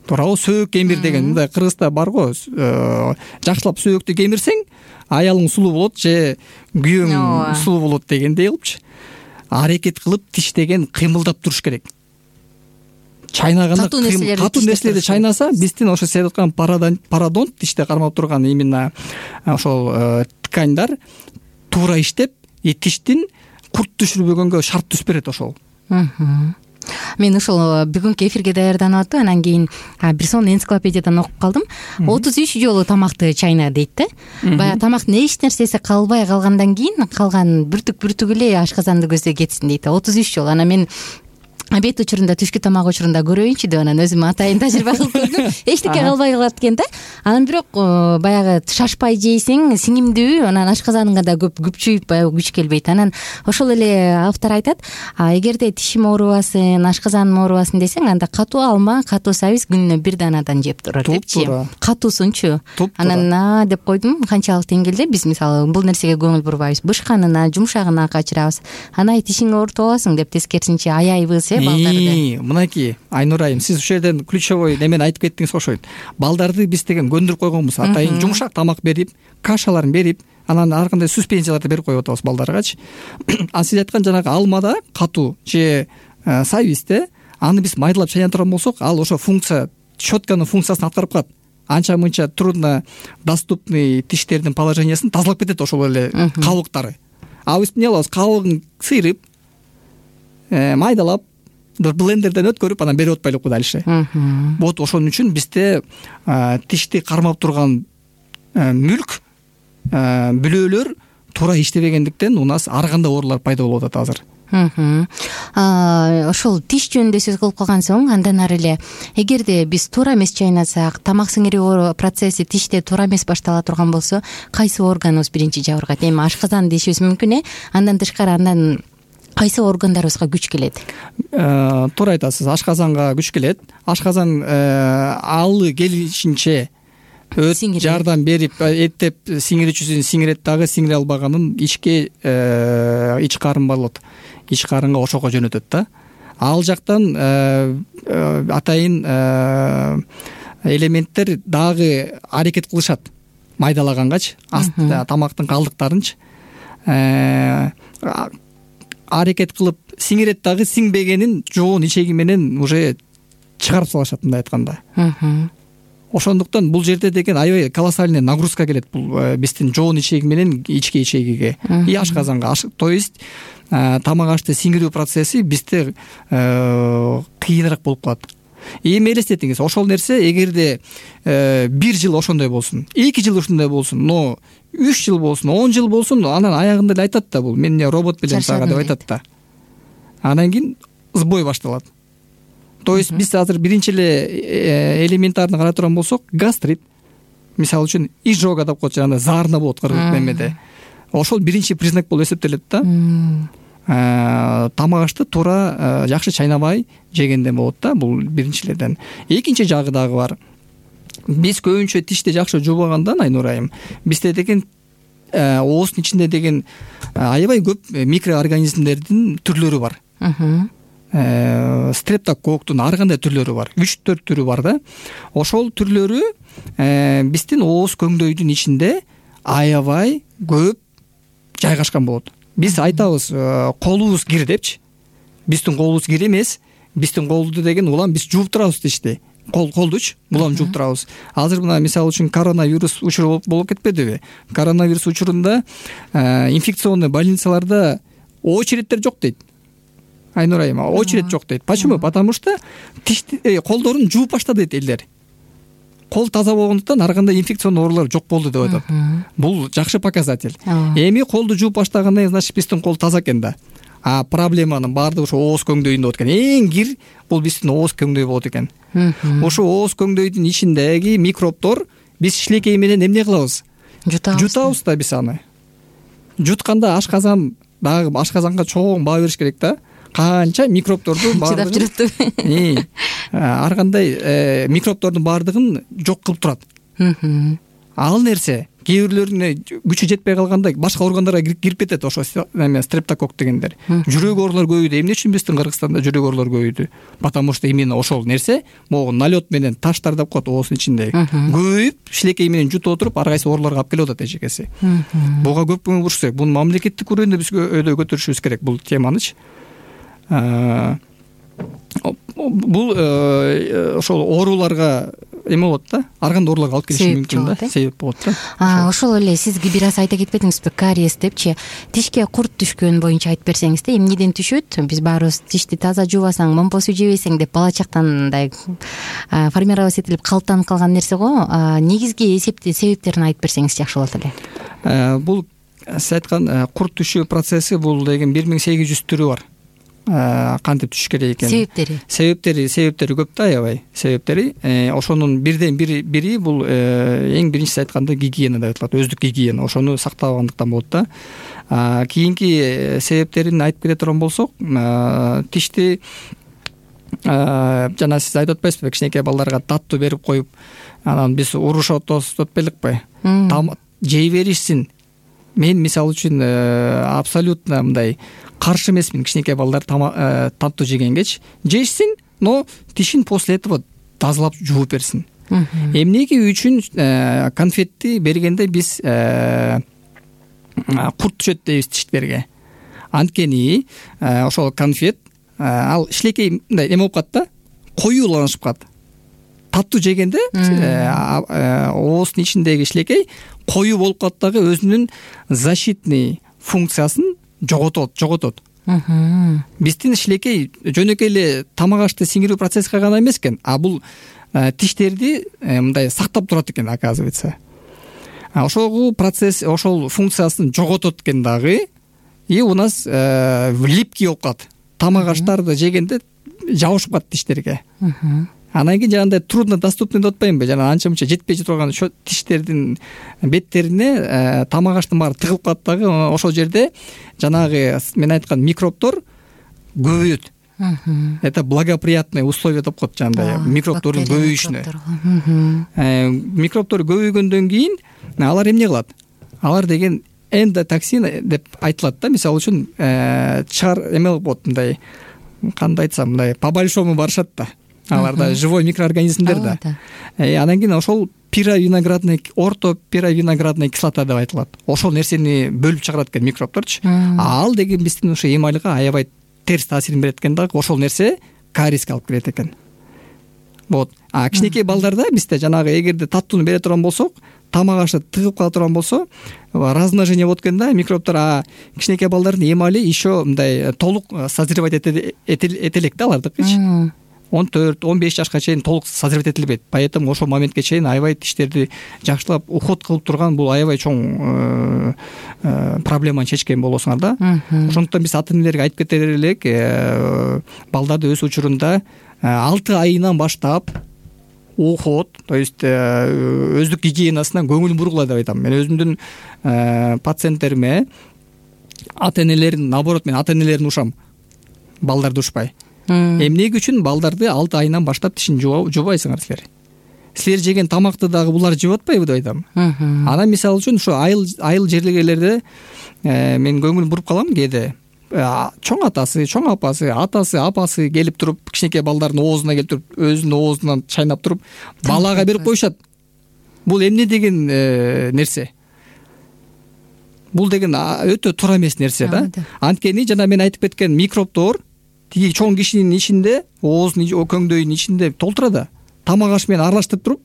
Speaker 3: Туурабы, сөөк кемир деген мындай кыргызда бар го, жакшылап сөөктү кемирсең, аялың сулуу болот же күйөөң сулуу болот дегендей кылыпчы. Аракет кылып тиш деген кыймылдап туруш керек. Чайнаганда катуу нерселерди чайнаса, биздин ошо сиз айткан пародонт тиште кармап турган именно ошол тканьдар туура иштеп, и тиштин курт түшүрбөгөнгө шарт түзүп берет ошол.
Speaker 2: Мен ошол бүгүнкү эфирге даярданып атып, анан кийин бир сонун энциклопедиядан окуп калдым. отуз үч жолу тамакты чайна дейт да. Баягы тамактын эч нерсеси калбай калгандан кийин калган бүртүк бүртүк эле ашказанды көздөй кетсин дейт. отуз үч жолу. Анан мен обед учурунда, түшкү тамак учурунда көрөйүнчү деп анан өзүм атайын тажрыйба кылып көрдүм. Эчтеке калбай калат экен да. Анан бирок баягы шашпай жейсең сиңимдүү, анан ашказаныңа да көп күпчүйүп баягы күч келбейт. Анан ошол эле автор айтат, эгерде тишим оорубасын, ашказаным оорубасын десең, анда катуу алма, катуу сабиз күнүнө бир данадан жеп турур депчи. Катуусунчу. Анан деп койдум, канчалык деңгээлде биз мисалы бул нерсеге көңүл бурбайбыз. Бышканына, жумшагына качырабыз. Анан тишиңи оорутуп аласың деп тескерисинче аяйбыз.
Speaker 3: Мынакей Айнур айым, сиз ушул жерден ключевой немени айтып кеттиңиз окшойт. Балдарды биз деген көндүрүп койгонбуз. Атайын жумшак тамак берип, кашаларын берип, анан ар кандай суспензияларды берип коюп атабыз балдаргачы. А сиз айткан жанагы алмада катуу же сабизде аны биз майдалап чайнап турган болсок, ал ошо функция, щетканын функциясын аткарып калат. Анча мынча трудно доступный тиштердин положениясын тазалап кетет ошол эле калыбыктары. А биз эмне кылабыз? Калыбын сыйрып, майдалап, блендерден өткөрүп анан берип атпайлы го дальше. Вот ошон үчүн бизде тишти кармап турган мүлк, бүлөлөр туура иштебегендиктен у нас ар кандай оорулар пайда болуп атат азыр.
Speaker 2: Ошол тиш жөнүндө сөз кылып калган соң, андан ары эле эгерде биз туура эмес чайнасак, тамак сиңирүү процесси тиште туура эмес баштала турган болсо, кайсы органыбыз биринчи жабыргат? Эми ашказан дешибиз мүмкүн э, андан тышкары андан кайсы органдарыбызга күч келет?
Speaker 3: Туура айтасыз, ашказанга күч келет. Ашказан алы келишинче өт жардам берип, эттеп сиңирүүчүсүн сиңирет, дагы сиңире албаганын ичке ич карын болот. Ич карынга ошого жөнөтөт да. Ал жактан атайын элементтер дагы аракет кылышат майдалагангачы, тамактын калдыктарынчы аракет кылып сиңирет, дагы сиңбегенин жоон ичеги менен уже чыгарып салышат, мындай айтканда. Ошондуктан бул жерде деген аябай колоссальный нагрузка келет бул биздин жоон ичеги менен ички ичегиге и ашказанга. То есть тамак ашты сиңирүү процесси бизде кыйыныраак болуп калат. Эми элестетиңиз, ошол нерсе эгерде бир жыл ошондой болсун, эки жыл ошондой болсун, но үч жыл болсун, он жыл болсун, анан аягында эле айтат да, бул мен робот белем сага деп айтат да. Анан кийин сбой башталат. То есть биз азыр биринчи эле элементарно карай турган болсок, гастрит, мисалы үчүн изжога деп коет, жана заарна болот кыргыз немеде. Ошол биринчи признак болуп эсептелет да. Тамак ашты туура жакшы чайнабай жегенден болот да, бул биринчилерден. Экинчи жагы дагы бар. биз көбүнчө тишти жакшы жуубагандан Айнура айым бизде деген ооздун ичинде деген аябай көп микроорганизмдердин түрлөрү бар. Стрептококктун ар кандай түрлөрү бар, үч төрт түрү бар да. Ошол түрлөрү биздин ооз көңдөйдүн ичинде аябай көп жайгашкан болот. Биз айтабыз колубуз кир депчи. Биздин колубуз кир эмес, биздин колду деген улам биз жууп турабыз тишти. Кол колдучу улам жууп турабыз. Азыр мына мисалы үчүн коронавирус учуру болуп кетпедиби? Коронавирус учурунда инфекционный больницаларда очередтер жок дейт. Айнура айым, очередь жок дейт. Почему? Потому что тишти колдорун жууп баштады дейт элдер. Кол таза болгондуктан ар кандай инфекционный оорулар жок болду деп айтат. Бул жакшы показатель. Эми колду жууп баштагандан значит биздин кол таза экен да. А проблеманын баардыгы ошо ооз көңдөйүндө болот экен. Эң кир бул биздин ооз көңдөй болот экен. Ошо ооз көңдөйдүн ичиндеги микробтор биз шилекей менен эмне кылабыз?
Speaker 2: Жутабыз.
Speaker 3: Жутабыз да биз аны. Жутканда ашказан дагы ашказанга чоң баа бериш керек да. Канча микробторду
Speaker 2: чыдап жүрөт.
Speaker 3: Ар кандай микробтордун баардыгын жок кылып турат. Ал нерсе кээ бирлөрүнө күчү жетпей калганда башка органдарга кирип кетет. Ошо эме стрептококк дегендер. Жүрөк оорулар көбөйдү. Эмне үчүн биздин Кыргызстанда жүрөк оорулар көбөйдү? Потому что именно ошол нерсе могу налет менен таштар деп коет ооздун ичинде. Көбөйүп, шилекей менен жутуп отуруп, ар кайсы ооруларга алып келип атат эжекеси. Буга көп көңүл буруш керек. Буну мамлекеттик уровенде биз өйдө көтөрүшүбүз керек бул теманычы. Бул ошол ооруларга эме болот да, ар кандай ооруларга алып келиши мүмкүн да, себеп болот да.
Speaker 2: Ошол эле сиз бир аз айта кетпедиңизби, кариес депчи, тишке курт түшкөн боюнча айтып берсеңиз да, эмнеден түшөт? Биз баарыбыз тишти таза жуубасаң, момпо суу жебесең деп бала чактан мындай формироваться этилип калыптанып калган нерсе го. Негизги эсепти себептерин айтып берсеңиз жакшы болот эле.
Speaker 3: Бул сиз айткан курт түшүү процесси бул деген бир миң сегиз жүз түрү бар. Кантип түшүш керек экен? Себептери. Себептери, себептери көп да, аябай себептери. Ошонун бирден бири бири бул эң биринчиси айтканда гигиена деп аталат, өздүк гигиена. Ошону сактабагандыктан болот да. Кийинки себептерин айтып кете турган болсок, тишти жана сиз айтып атпайсызбы, кичинекей балдарга таттуу берип коюп, анан биз урушат деп беликпи? Жей беришсин. Мен мисалы үчүн абсолютно мындай каршы эмесмин кичинекей балдар таттуу жегенгечи. Жешсин, но тишин после этого тазалап жууп берсин. Эмнеге үчүн конфетти бергенде биз курт түшөт дейбиз тиштерге? Анткени ошол конфет ал шилекей мындай эме болуп калат да, коюуланышып калат. Таттуу жегенде ооздун ичиндеги шилекей коюу болуп калат дагы өзүнүн защитный функциясын жоготот, жоготот. Биздин шилекей жөнөкөй эле тамак ашты сиңирүү процессине гана эмес экен, а бул тиштерди мындай сактап турат экен, оказывается. Ошол процесс, ошол функциясын жоготот экен дагы. И у нас липкий болуп калат. Тамак аштарды жегенде жабышып калат тиштерге. Анан кийин жанагындай трудно доступный деп атпаймынбы? Жана анча мынча жетпей турган тиштердин беттерине тамак аштын баары тыгылып калат дагы. Ошол жерде жанагы мен айткан микробтор көбөйөт. Это благоприятные условия деп коет жанагындай микробтордун көбөйүшүнө. Микробтор көбөйгөндөн кийин алар эмне кылат? Алар деген эндотоксин деп айтылат да. Мисалы үчүн чар эме болот, мындай кандай айтсам, мындай по большому барышат да. Аларда живой микроорганизмдер да. Анан кийин ошол пировиноградный, орто пировиноградный кислота деп айтылат. Ошол нерсени бөлүп чыгарат экен микробторчу. Ал деген биздин ошо эмалга аябай терс таасирин берет экен дагы. Ошол нерсе кариеске алып келет экен. Вот. А кичинекей балдарда бизде жанагы эгерде таттууну бере турган болсок, тамак ашы тыгып кала турган болсо, размножение болот экен да микробтор. А кичинекей балдардын эмали еще мындай толук созревать этелек да алардыкычы. он төрт он беш жашка чейин толук созревать этилбейт. Поэтому ошол моментке чейин аябай тиштерди жакшылап уход кылып турган бул аябай чоң проблеманы чечкен болосуңар да. Ошондуктан биз ата энелерге айтып кетер элек, балдарды өз учурунда алты айынан баштап уход, то есть өздүк гигиенасына көңүл бургула деп айтам. Мен өзүмдүн пациенттериме ата энелерин, наоборот, мен ата энелерин ушам, балдарды ушпай. Эмнеге үчүн балдарды алты айынан баштап тишин жуубайсыңар силер? силер жеген тамакты дагы булар жеп атпайбы деп айтам. Анан мисалы үчүн ушу айыл айыл жерлегелерде мен көңүл буруп калам кээде. Чоң атасы, чоң апасы, атасы, апасы келип туруп, кичинекей балдардын оозуна келип туруп, өзүнүн оозунан чайнап туруп, балага берип коюшат. Бул эмне деген нерсе? Бул деген өтө туура эмес нерсе да. Анткени жана мен айтып кеткен микробдор тиги чоң кишинин ичинде, оозунун көңдөйүнүн ичинде толтура да. Тамак аш менен аралаштырып туруп,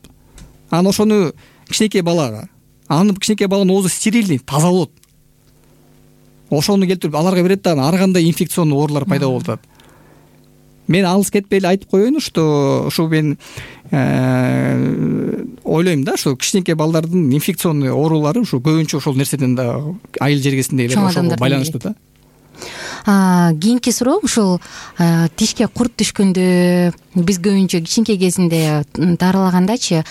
Speaker 3: анан ошону кичинекей балага, анын кичинекей баланын оозу стерильный, таза болот. Ошону келтирип аларга берет да, ар кандай инфекционный оорулар пайда болуп атат. Мен алыс кетпей эле айтып коеюн, что ушу мен ойлойм да, ушу кичинекей балдардын инфекционный оорулары ушу көбүнчө ошол нерседен да, айыл жергесиндегилер ошого байланыштуу да.
Speaker 2: Кийинки суроо ушул тишке курт түшкөндө биз көбүнчө кичинекей кезинде дарылагандачы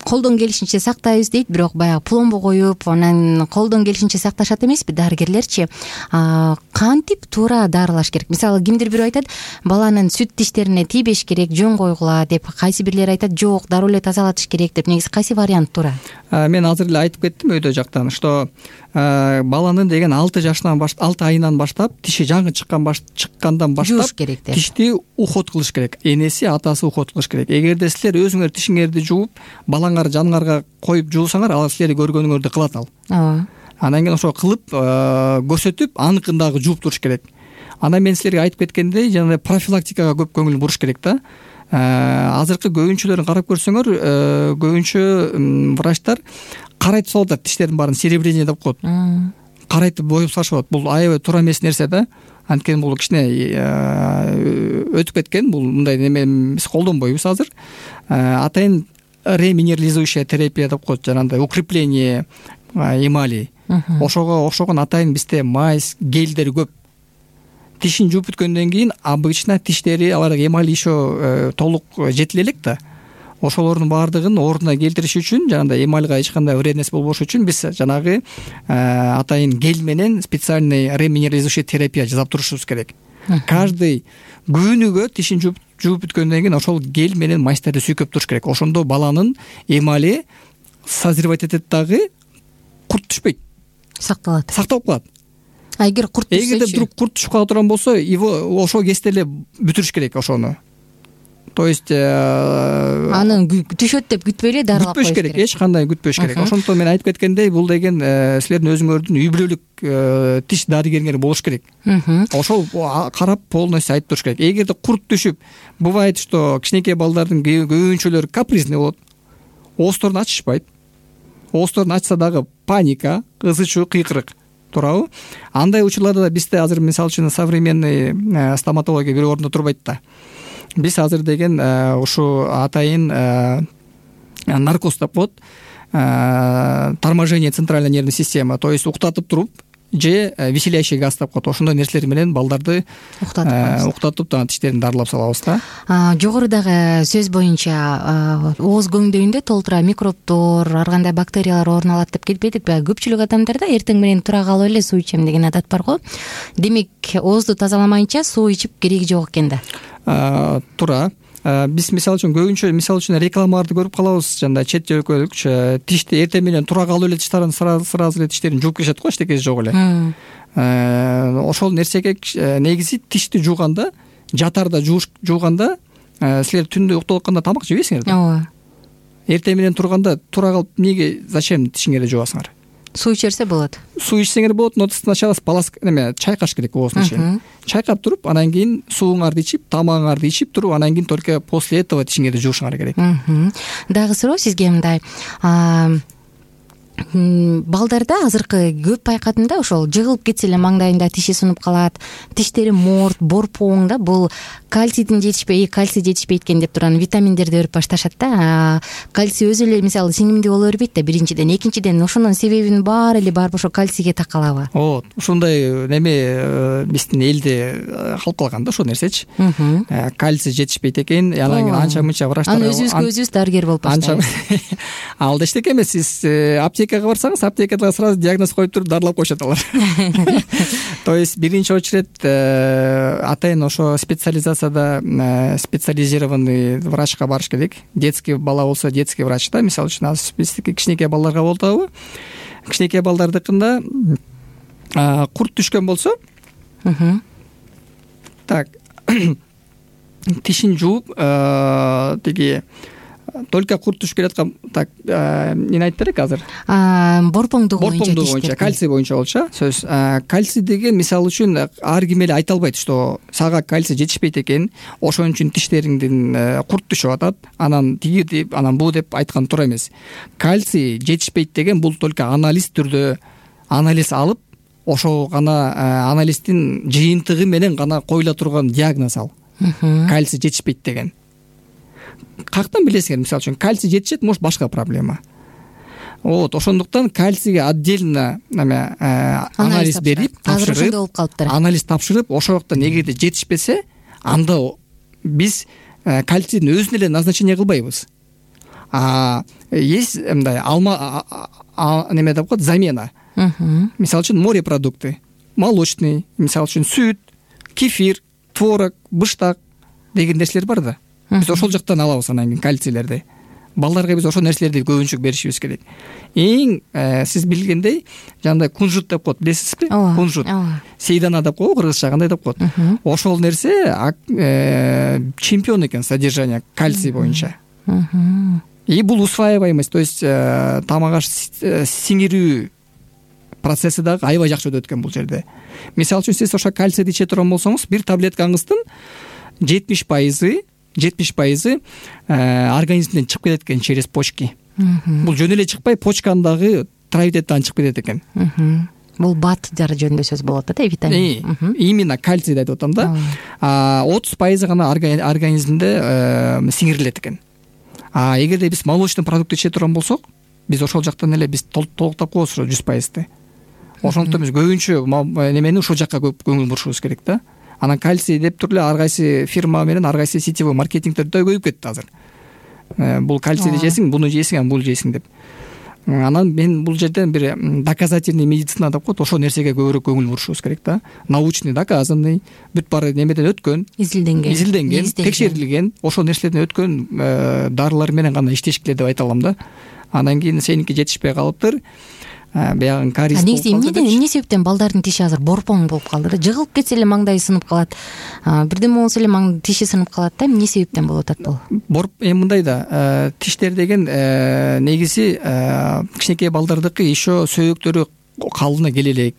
Speaker 2: колдон келишинче сактайбыз дейт, бирок баягы пломба коюп, анан колдон келишинче сакташат эмеспи дарыгерлерчи? Кантип туура дарылаш керек? Мисалы, кимдир бирөө айтат, баланын сүт тиштерине тийбеш керек, жөн койгула деп, кайсы бирлер айтат, жок, дароо эле тазалатыш керек деп. Негизи кайсы вариант туура? Мен
Speaker 3: азыр эле айтып кеттим өйдө жактан, что баланын деген алты жашынан баштап, алты айынан баштап тиши жаңы чыккан чыккандан баштап тишти уход кылыш керек. Энеси, атасы уход кылыш керек. Эгерде силер өзүңөр тишиңерди жууп, балаңар жаныңарга коюп жуусаңар, ал силер көргөнүңөрдү кылат ал. Ооба. Анан кийин ошо кылып көрсөтүп, аныкын дагы жууп туруш керек. Анан мен силерге айтып кеткендей, жана профилактикага көп көңүл буруш керек да. Азыркы көбүнчөлөрүн карап көрсөңөр, көбүнчө врачтар карайтып салып атат, тиштердин баарын серебрение деп коет. Карайтып боюп салышат. Бул аябай туура эмес нерсе да. Анткени бул кичине өтүп кеткен, бул мындай неме биз колдонбойбуз азыр. Атайын реминерализующая терапия деп коет, жанагындай укрепление эмали. Ошого окшогон атайын бизде мазь, гелдер көп. Тишин жууп бүткөндөн кийин обычно тиштери аларга эмаль еще толук жетиле элек да. Ошолордун баардыгын ордуна келтириш үчүн, жанагындай эмальга эч кандай вредность болбош үчүн биз жанагы атайын гель менен специальный реминерализующая терапия жасап турушубуз керек. Каждый күнүгө тишин жууп жууп бүткөндөн кийин ошол гель менен мазьтарды сүйкөп туруш керек. Ошондо баланын эмали созревать этет дагы, курт түшпөйт. Сакталат. Сакталып калат.
Speaker 2: А эгер курт түшсө,
Speaker 3: эгерде вдруг курт түшүп кала турган болсо, его ошол кезде эле бүтүрүш керек ошону. То есть
Speaker 2: анын түшөт деп күтпөй эле дарылап коюш керек.
Speaker 3: Эч кандай күтпөш керек. Ошондон мен айтып кеткендей, бул деген силердин өзүңөрдүн үй бүлөлүк тиш дарыгериңер болуш керек. Ошол карап полностью айтып туруш керек. Эгерде курт түшүп, бывает, что кичинекей балдардын көбүнчөлөрү капризный болот. Оозторун ачышпайт. Оозторун ачса дагы паника, ызы-чуу, кыйкырык. Туурабы? Андай учурларда да бизде азыр мисалы үчүн современный стоматология бир ордуна турбайт да. Биз азыр деген ушу атайын наркоз деп коет, торможение центральной нервной системы, то есть уктатып туруп же веселящий газ деп коет. Ошондой нерселер менен балдарды уктатып таа тиштерин дарылап салабыз да.
Speaker 2: Жогорудагы сөз боюнча ооз көңдөйүндө толтура микробдор, ар кандай бактериялар орун алат деп кетпедикпи? Көпчүлүк адамдарда эртең менен тура калып эле суу ичем деген адат бар го. Демек, оозду тазаламайынча суу ичип кереги жок экен да.
Speaker 3: Туура. Биз мисалы үчүн көбүнчө мисалы үчүн рекламаларды көрүп калабыз, жана чет жөлкөлүк тишти эртең менен тура калып эле тиштарын сразу эле тиштерин жууп келишет го, эчтекеси жок эле. Ошол нерсеге негизи тишти жууганда, жатарда жууганда, силер түндө уктап атканда тамак жебейсиңер да. Ооба. Эртең менен турганда тура калып эмнеге зачем тишиңерди жуасыңар?
Speaker 2: Суу ичерсе болот.
Speaker 3: Суу ичсеңер болот, но сначала полоска неме чайкаш керек оозун ичин. Чайкап туруп, анан кийин сууңарды ичип, тамагыңарды ичип туруп, анан кийин только после этого тишиңерди жуушуңар керек.
Speaker 2: Дагы суроо сизге мындай. Балдарда азыркы көп байкадым да, ошол жыгылып кетсе эле маңдайында тиши сунуп калат, тиштери морт, борпоң да, бул кальцийдин жетишпей, кальций жетишпейт экен деп турган витаминдерди берип башташат да. Кальций өзү эле мисалы сиңимдүү боло бербейт да, биринчиден, экинчиден ошонун себебинин баары эле барбы ошо кальцийге такалабы?
Speaker 3: Ооба, ушундай неме биздин элде калкалган да ошол нерсечи. Кальций жетишпейт экен, анан кийин анча мынча врачтар.
Speaker 2: Аны өзүбүзгө өзүбүз дарыгер болуп баштайбыз.
Speaker 3: Ал да эчтеке эмес, сиз аптекага аптекага барсаңыз, аптекада сразу диагноз коюп туруп дарылап коюшат алар. То есть биринчи очередь атайын ошо специализацияда специализированный врачка барыш керек. Детский бала болсо детский врач да, мисалы үчүн азыр биздики кичинекей балдарга болуп атабы. Кичинекей балдардыкында курт түшкөн болсо, так тишин жууп тиги только курт түшүп келаткан, так эмне айтып берек азыр?
Speaker 2: Борпоңдугу боюнча,
Speaker 3: борпоңдугу боюнча, кальций боюнча болчу сөз. Кальций деген мисалы үчүн ар ким эле айта албайт, что сага кальций жетишпейт экен, ошон үчүн тиштериңдин курт түшүп атат, анан тиги деп, анан бу деп айткан туура эмес. Кальций жетишпейт деген бул только анализ түрдө анализ алып, ошо гана анализдин жыйынтыгы менен гана коюла турган диагноз ал. Кальций жетишпейт деген. Каяктан билесиңер? Мисалы үчүн кальций жетишет, может башка проблема. Вот, ошондуктан кальцийге отдельно неме анализ берип, тапшырып, анализ тапшырып, ошол вакытта эгерде жетишпесе, анда биз кальцийдин өзүн эле назначение кылбайбыз. А есть мындай алма неме деп коет, замена. Мисалы үчүн морепродукты, молочный, мисалы үчүн сүт, кефир, творог, быштак деген нерселер бар да. Биз ошол жактан алабыз анан кийин кальцийлерди. Балдарга биз ошол нерселерди көбүнчө беришибиз керек. Эң сиз билгендей, жандай кунжут деп коет, билесизби? Кунжут. Сейдана деп коет, кыргызча кандай деп коет. Ошол нерсе чемпион экен содержание кальций боюнча. И бул усваиваемость, то есть тамак аш сиңирүү процесси дагы аябай жакшы өтөт экен бул жерде. Мисалы үчүн сиз ошо кальцийди иче турган болсоңуз, бир таблеткаңыздын жетимиш пайызы жетимиш пайызы организмден чыгып кетет экен через почки. Бул жөн эле чыкпай, почкандагы травитеттан чыгып кетет экен.
Speaker 2: Бул бат жары жөнүндө сөз болот да, витамин.
Speaker 3: Именно кальцийди айтып атам да. отуз пайызы гана организмде сиңирилет экен. А эгерде биз молочный продукт иче турган болсок, биз ошол жактан эле биз толуктап коебуз ошо жүз пайызды. Ошондуктан биз көбүнчө немени ушул жакка көп көңүл бурушубуз керек да. Анан кальций деп туруп эле ар кайсы фирма менен ар кайсы сетевой маркетингдер да көбөйүп кетти азыр. Бул кальцийди жесиң, буну жесиң, анан бул жесиң деп. Анан мен бул жерден бир доказательный медицина деп коет, ошол нерсеге көбүрөөк көңүл бурушубуз керек да. Научный, доказанный, бүт баары немеден өткөн, изилденген, изилденген, текшерилген, ошол нерселерден өткөн дарылар менен гана иштешкиле деп айта алам да. Анан кийин сеники жетишпей калыптыр. Баягы кариз болуп калды.
Speaker 2: Эмне себептен балдардын тиши азыр борпоң болуп калды да? Жыгылып кетсе эле маңдайы сынып калат. Бирдеме болсо эле маң тиши сынып калат да. Эмне себептен болуп атат бул?
Speaker 3: Борп эми мындай да, тиштер деген негизи кичинекей балдардыкы еще сөөктөрү калына келе элек.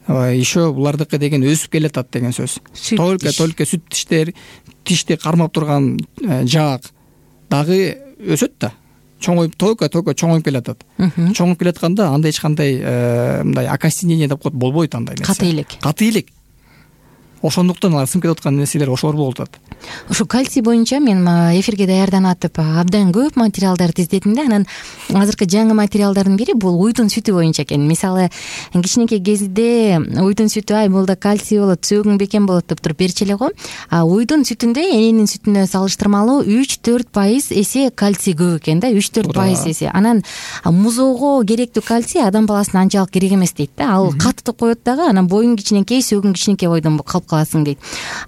Speaker 3: Еще булардыкы деген өсүп келатат деген сөз. Только только сүт тиштер, тишти кармап турган жаак дагы өсөт да. Чоңоюп, только только чоңоюп келатат. Чоңоюп келатканда анда эч кандай мындай окостенение деп коет, болбойт андай нерсе.
Speaker 2: Каты элек.
Speaker 3: Каты элек. Ошондуктан алар сынып кетип аткан нерселер ошолор болуп атат.
Speaker 2: Ошо кальций боюнча мен эфирге даярданып атып абдан көп материалдарды издедим да. Анан азыркы жаңы материалдардын бири бул уйдун сүтү боюнча экен. Мисалы, кичинекей кезде уйдун сүтү, ай булда кальций болот, сөөгүң бекем болот деп туруп берчү эле го. А уйдун сүтүндө эненин сүтүнө салыштырмалуу үч төрт пайыз эсе кальций көп экен да, үч төрт пайыз эсе. Анан музоого керектүү кальций адам баласына анчалык керек эмес дейт да. Ал катты коет дагы, анан боюң кичинекей, сөөгүң кичинекей бойдон калып каласың дейт.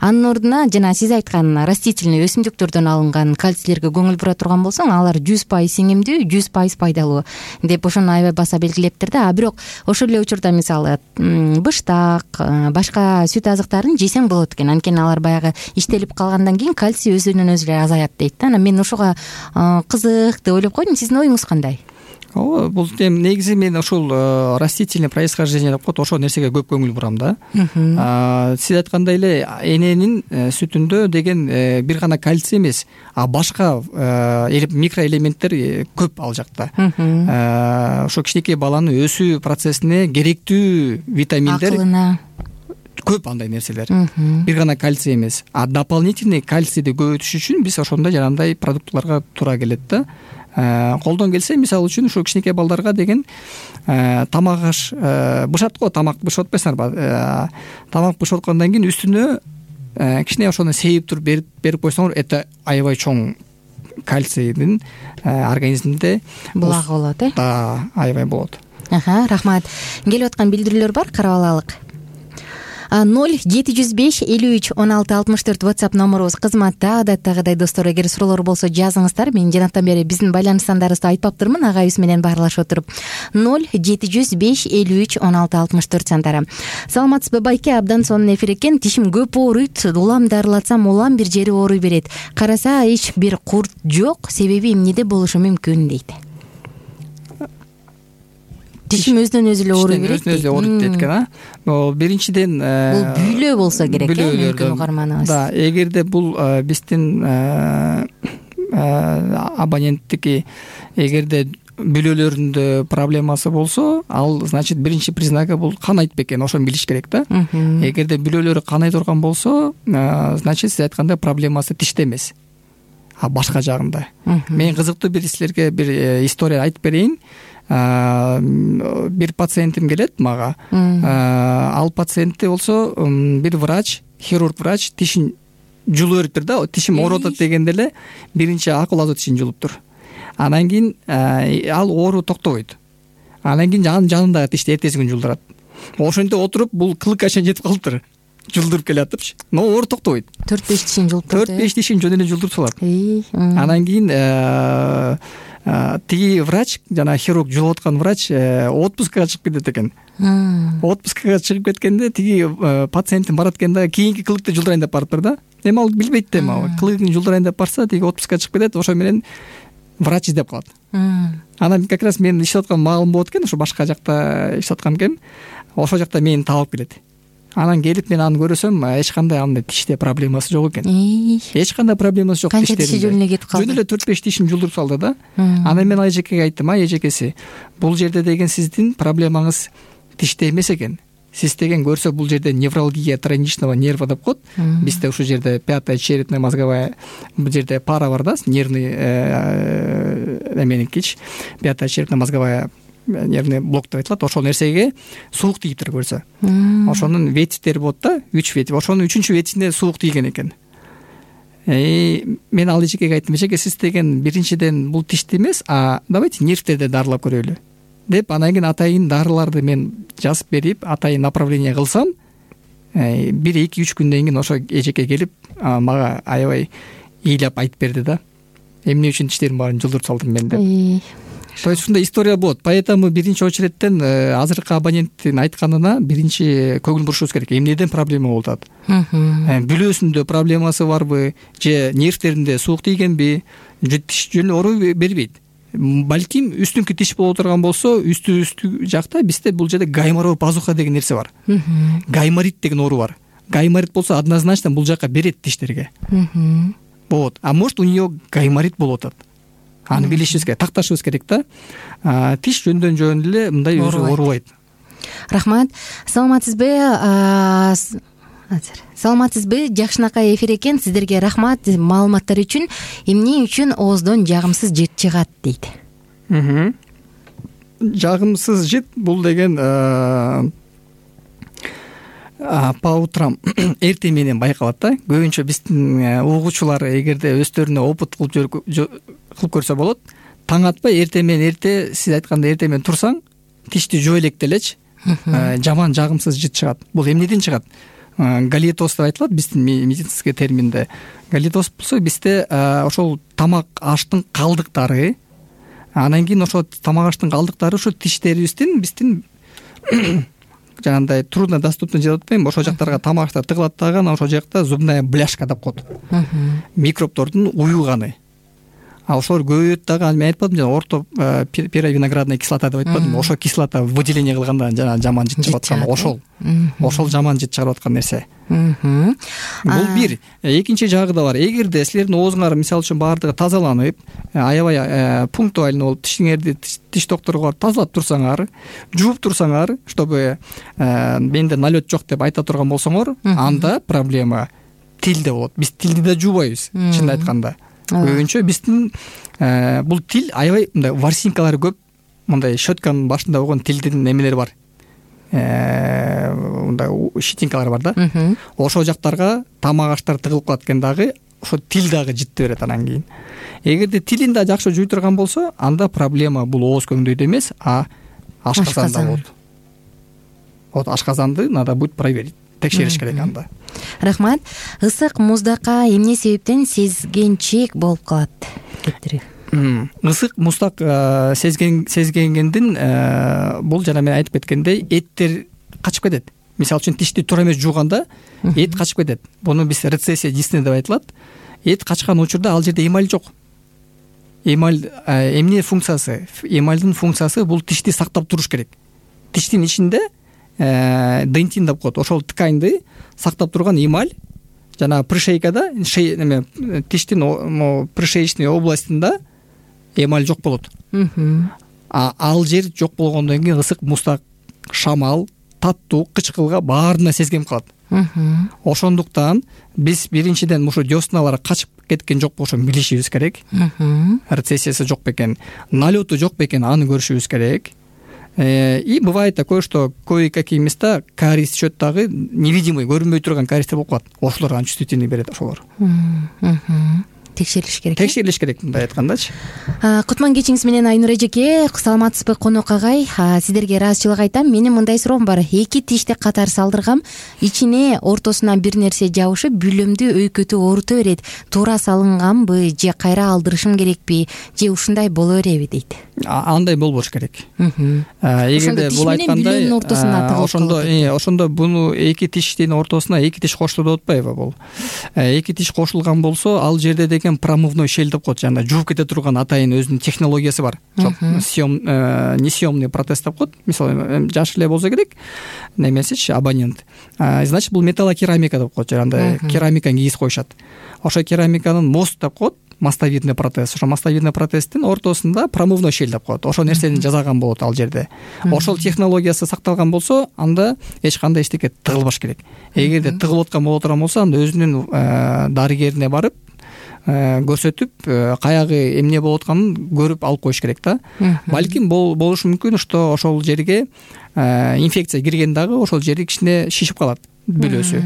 Speaker 2: Анын ордуна жана сиз айткан растительный өсүмдүктөрдөн алынган кальцийлерге көңүл бура турган болсоң, алар жүз пайыз сиңимдүү, жүз пайыз пайдалуу деп ошону аябай баса белгилептир да. А бирок ошол эле учурда мисалы быштак, башка сүт азыктарын жесең болот экен. Анткени алар баягы иштелип калгандан кийин кальций өзүнөн өзү эле азаят дейт да. Анан мен ошого кызык деп ойлоп койдум. Сиздин оюңуз кандай?
Speaker 3: Ооба, бул эми негизи мен ошол растительный происхождение деп коет, ошол нерсеге көп көңүл бурам да. Сиз айткандай эле эненин сүтүндө деген бир гана кальций эмес, а башка микроэлементтер көп ал жакта. Ошо кичинекей баланын өсүү процессине керектүү витаминдер, акылына көп андай нерселер. Бир гана кальций эмес. А дополнительный кальцийди көбөйтүш үчүн биз ошондой жанагындай продуктларга туура келет да. Колдон келсе, мисалы үчүн ушул кичинекей балдарга деген тамак аш бышат го, тамак бышып атпайсыңарбы? Тамак бышып аткандан кийин үстүнө кичине ошону сейип туруп берип берип койсоңор, это аябай чоң кальцийдин организмде
Speaker 2: булагы болот э
Speaker 3: да аябай болот.
Speaker 2: Рахмат. Келип аткан билдирүүлөр бар, карап алайлык. ноль жети жүз беш элүү үч он алты алтымыш төрт WhatsApp номурубуз кызматта. Адаттагыдай достор, эгер суроолор болсо жазыңыздар. Мен жанаттан бери биздин байланыш сандарыбызды айтпаптырмын, агайыбыз менен баарлашып отуруп. ноль жети жүз беш элүү үч он алты алтымыш төрт сандары. Саламатсызбы байке? Абдан сонун эфир экен. Тишим көп ооруйт. Улам дарылатсам улам бир жери ооруй берет. Караса эч бир курт жок. Себеби эмнеде болушу мүмкүн дейт. Тишим өзүнөн өзү эле ооруй берет.
Speaker 3: Өзүнөн өзү ооруйт дейт экен, а? Бул биринчиден
Speaker 2: бул бүйлө болсо керек, э, мүмкүн угарманыбыз.
Speaker 3: Да, эгерде бул биздин абоненттики эгерде бүлөлөрүндө проблемасы болсо, ал значит биринчи признагы бул канайт бекен, ошону билиш керек да. Эгерде бүлөлөрү канай турган болсо, значит сиз айткандай проблемасы тиште эмес, а башка жагында. Мен кызыктуу бир силерге бир история айтып берейин. Бир пациентим келет мага. Ал пациентте болсо бир врач, хирург врач тишин жулуп бериптир да. Тишим ооруп атат дегенде эле биринчи акыл тишин жулуптур. Анан кийин ал оору токтобойт. Анан кийин анын жанындагы тишти эртеси күнү жулдурат. Ошентип отуруп бул кылыкка чейин жетип калыптыр. Жулдуруп келатыпчы. Но оору токтобойт. төрт беш тишин жулуп турат. төрт беш тишин жөн эле жулдуруп салат. Анан кийин тиги врач, жана хирург жулуп аткан врач отпускага чыгып кетет экен. Отпускага чыгып кеткенде тиги пациентин барат экен да, кийинки кылыкты жулдурайын деп барыптыр да. Эми ал билбейт да, эми кылыгын жулдурайын деп барса, тиги отпускага чыгып кетет, ошо менен врач издеп калат. Анан как раз мен иштеп аткан маалым болот экен, ошо башка жакта иштеп аткан экен. Ошол жакта мени таап келет. Анан келип мен аны көрөсөм, эч кандай андай тиште проблемасы жок экен. Эч кандай проблемасы жок тиштеринде. Канча тиши жөн эле кетип калды. Жөн эле төрт беш тишин жулдуруп салды да. Анан мен эжекеге айттым, а эжекеси, бул жерде деген сиздин проблемаңыз тиште эмес экен. Сиз деген көрсө бул жерде невралгия тройничного нерва деп коет. Бизде ушул жерде пятая черепно мозговая бул жерде пара бар да, нервный эменикич, пятая черепно мозговая нервный блок деп айтылат. Ошол нерсеге суук тийиптир көрсө. Ошонун ветиктери болот да, үч вети. Ошонун үчүнчү ветисине суук тийген экен. Э, мен ал эжекеге айттым, эжеке, сиз деген биринчиден бул тишти эмес, а давайте нервтерди дарылап көрөлү деп, анан кийин атайын дарыларды мен жазып берип, атайын направление кылсам, бир эки үч күндөн кийин ошо эжеке келип мага аябай ыйлап айтып берди да. Эмне үчүн тиштерим баарын жулдуруп салдым мен деп. То есть ушундай история болот. Поэтому биринчи очередтен азыркы абоненттин айтканына биринчи көңүл бурушубуз керек. Эмнеден проблема болуп атат? Бүлөсүндө проблемасы барбы, же нервтеринде суук тийгенби, же тиш жөн ооруй бербейт. Балким үстүңкү тиш боло турган болсо, үстү үстү жакта бизде бул жерде гайморовый пазуха деген нерсе бар. Гайморит деген оору бар. Гайморит болсо однозначно бул жака берет тиштерге. Вот. А может у неё гайморит болуп атат. Аны билишибиз керек, такташыбыз керек да. Тиш жөндөн жөн эле мындай өзү оорубайт.
Speaker 2: Рахмат. Саламатсызбы? Азыр. Саламатсызбы? Жакшынакай эфир экен. Сиздерге рахмат маалыматтар үчүн. Эмне үчүн ооздон жагымсыз жыт чыгат дейт.
Speaker 3: Жагымсыз жыт бул деген по утрам эртең менен байкалат да. Көбүнчө биздин угуучулар эгерде өздөрүнө опыт кылып кылып көрсө болот. Таң атпай эртең менен эрте, сиз айткандай эртең менен турсаң, тишти жөө элек делечи, жаман жагымсыз жыт чыгат. Бул эмнеден чыгат? Галитоз деп айтылат биздин медицинский терминде. Галитоз болсо бизде ошол тамак аштын калдыктары, анан кийин ошол тамак аштын калдыктары ошо тиштерибиздин биздин жанагындай трудно доступный деп атпайбы, ошол жактарга тамактар тыгылат дагы, анан ошол жакта зубная бляшка деп коет. Микробдордун уюганы. А ошолор көбөйөт дагы. Мен айтпадым жана орто перовиноградная кислота деп айтпадым. Ошол кислота выделение кылганда жана жаман жыт чыгып аткан ошол. Ошол жаман жыт чыгарып аткан нерсе. Бул бир. Экинчи жагы да бар. Эгерде силердин оозуңар мисалы үчүн баардыгы тазаланып, аябай пунктуально болуп тишиңерди тиш докторуга барып тазалап турсаңар, жууп турсаңар, чтобы менде налет жок деп айта турган болсоңор, анда проблема тилде болот. Биз тилди да жуубайбыз, чын айтканда. Көбүнчө биздин бул тил аябай мындай ворсинкалары көп, мындай щетканын башында болгон тилдин немелери бар. Мындай щетинкалары бар да. Ошол жактарга тамак аштар тыгылып калат экен дагы, ошо тил дагы жытты берет. Анан кийин эгерде тилин да жакшы жуй турган болсо, анда проблема бул ооз көңдөйдө эмес, а ашказанда болот. Вот ашказанды надо будет проверить, текшериш керек анда.
Speaker 2: Рахмат. Ысык муздакка эмне себептен сезгенчек болуп калат кептири?
Speaker 3: Ысык муздак сезген сезгенден бул жана мен айтып кеткендей эттер качып кетет. Мисалы үчүн тишти туура эмес жууганда эт качып кетет. Буну биз рецессия дисне деп айтылат. Эт качкан учурда ал жерде эмаль жок. Эмаль эмне функциясы? Эмальдын функциясы бул тишти сактап туруш керек. Тиштин ичинде дентин деп коет. Ошол тканьды сактап турган эмаль жана пришейкада, неме тиштин пришеечный областында эмаль жок болот. А ал жер жок болгондон кийин ысык муздак, шамал, таттуу, кычкылга баарына сезгенип калат. Ошондуктан биз биринчиден ушу десналар качып кеткен жок болушун билишибиз керек. Рецессиясы жок бекен, налёту жок бекен, аны көрүшүбүз керек. И бывает такое, что кое-какие места кариес течет дагы невидимый, көрүнбөй турган кариестер болуп калат. Ошолор анан чувствительный берет ошолор.
Speaker 2: Текшерилиш керек.
Speaker 3: Текшерилиш керек мындай айткандачы.
Speaker 2: Кутман кечиңиз менен Айнур эжеке, саламатсызбы конок агай? Сиздерге ыраазычылык айтам. Менин мындай суроом бар. Эки тишти катар салдыргам, ичине ортосуна бир нерсе жабышып, бүгүмдү өйкөтүп оорута берет. Туура салынганбы же кайра алдырышым керекпи же ушундай боло береби дейт.
Speaker 3: Андай болбош керек. Эгерде бул айткандай ошондо ошондо буну эки тиштин ортосуна эки тиш кошту деп атпайбы бул. Эки тиш кошулган болсо, ал жерде деген промывной щель деп коет. Жана жууп кете турган атайын өзүнүн технологиясы бар. Съем несъемный протез деп коет. Мисалы жаш эле болсо керек, немесичи абонент. Значит, бул металлокерамика деп коет. Андай керамиканы кийиз коюшат. Ошо керамиканын мост деп коет. Мостовидный протез. Ошо мостовидный протездин ортосунда промывной щель деп коет. Ошол нерсени жасаган болот ал жерде. Ошол технологиясы сакталган болсо, анда эч кандай эчтеке тыгылбаш керек. Эгерде тыгылып аткан боло турган болсо, анда өзүнүн дарыгерине барып көрсөтүп, каягы эмне болуп атканын көрүп алып коюш керек да. Балким болушу мүмкүн, что ошол жерге инфекция кирген дагы ошол жери кичине шишип калат, бүлөсү.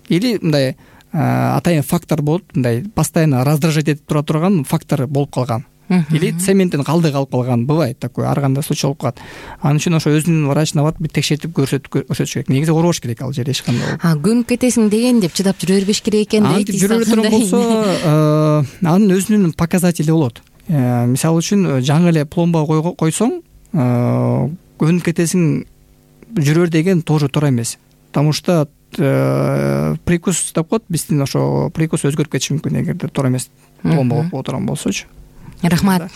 Speaker 3: Или мындай атайын фактор болуп, мындай постоянно раздражать этип тура турган фактор болуп калган. Или цементтин калдыгы алып калган, бывает такое, ар кандай случай болуп калат. Анын үчүн ошо өзүнүн врачына барып бир текшертип көрсөтүп көрсөтүш керек. Негизи оорубаш керек ал жер эч кандай болуп. А
Speaker 2: көнүп кетесиң деген деп чыдап жүрө бербеш керек экен дейт.
Speaker 3: Антип жүрө турган болсо, анын өзүнүн показатели болот. Мисалы үчүн жаңы эле пломба койсоң, көнүп кетесиң жүрөр деген тоже туура эмес. Потому что прикус деп коет, биздин ошо прикус өзгөрүп кетиши мүмкүн эгерде туура эмес пломба болуп турган болсочу.
Speaker 2: Рахмат.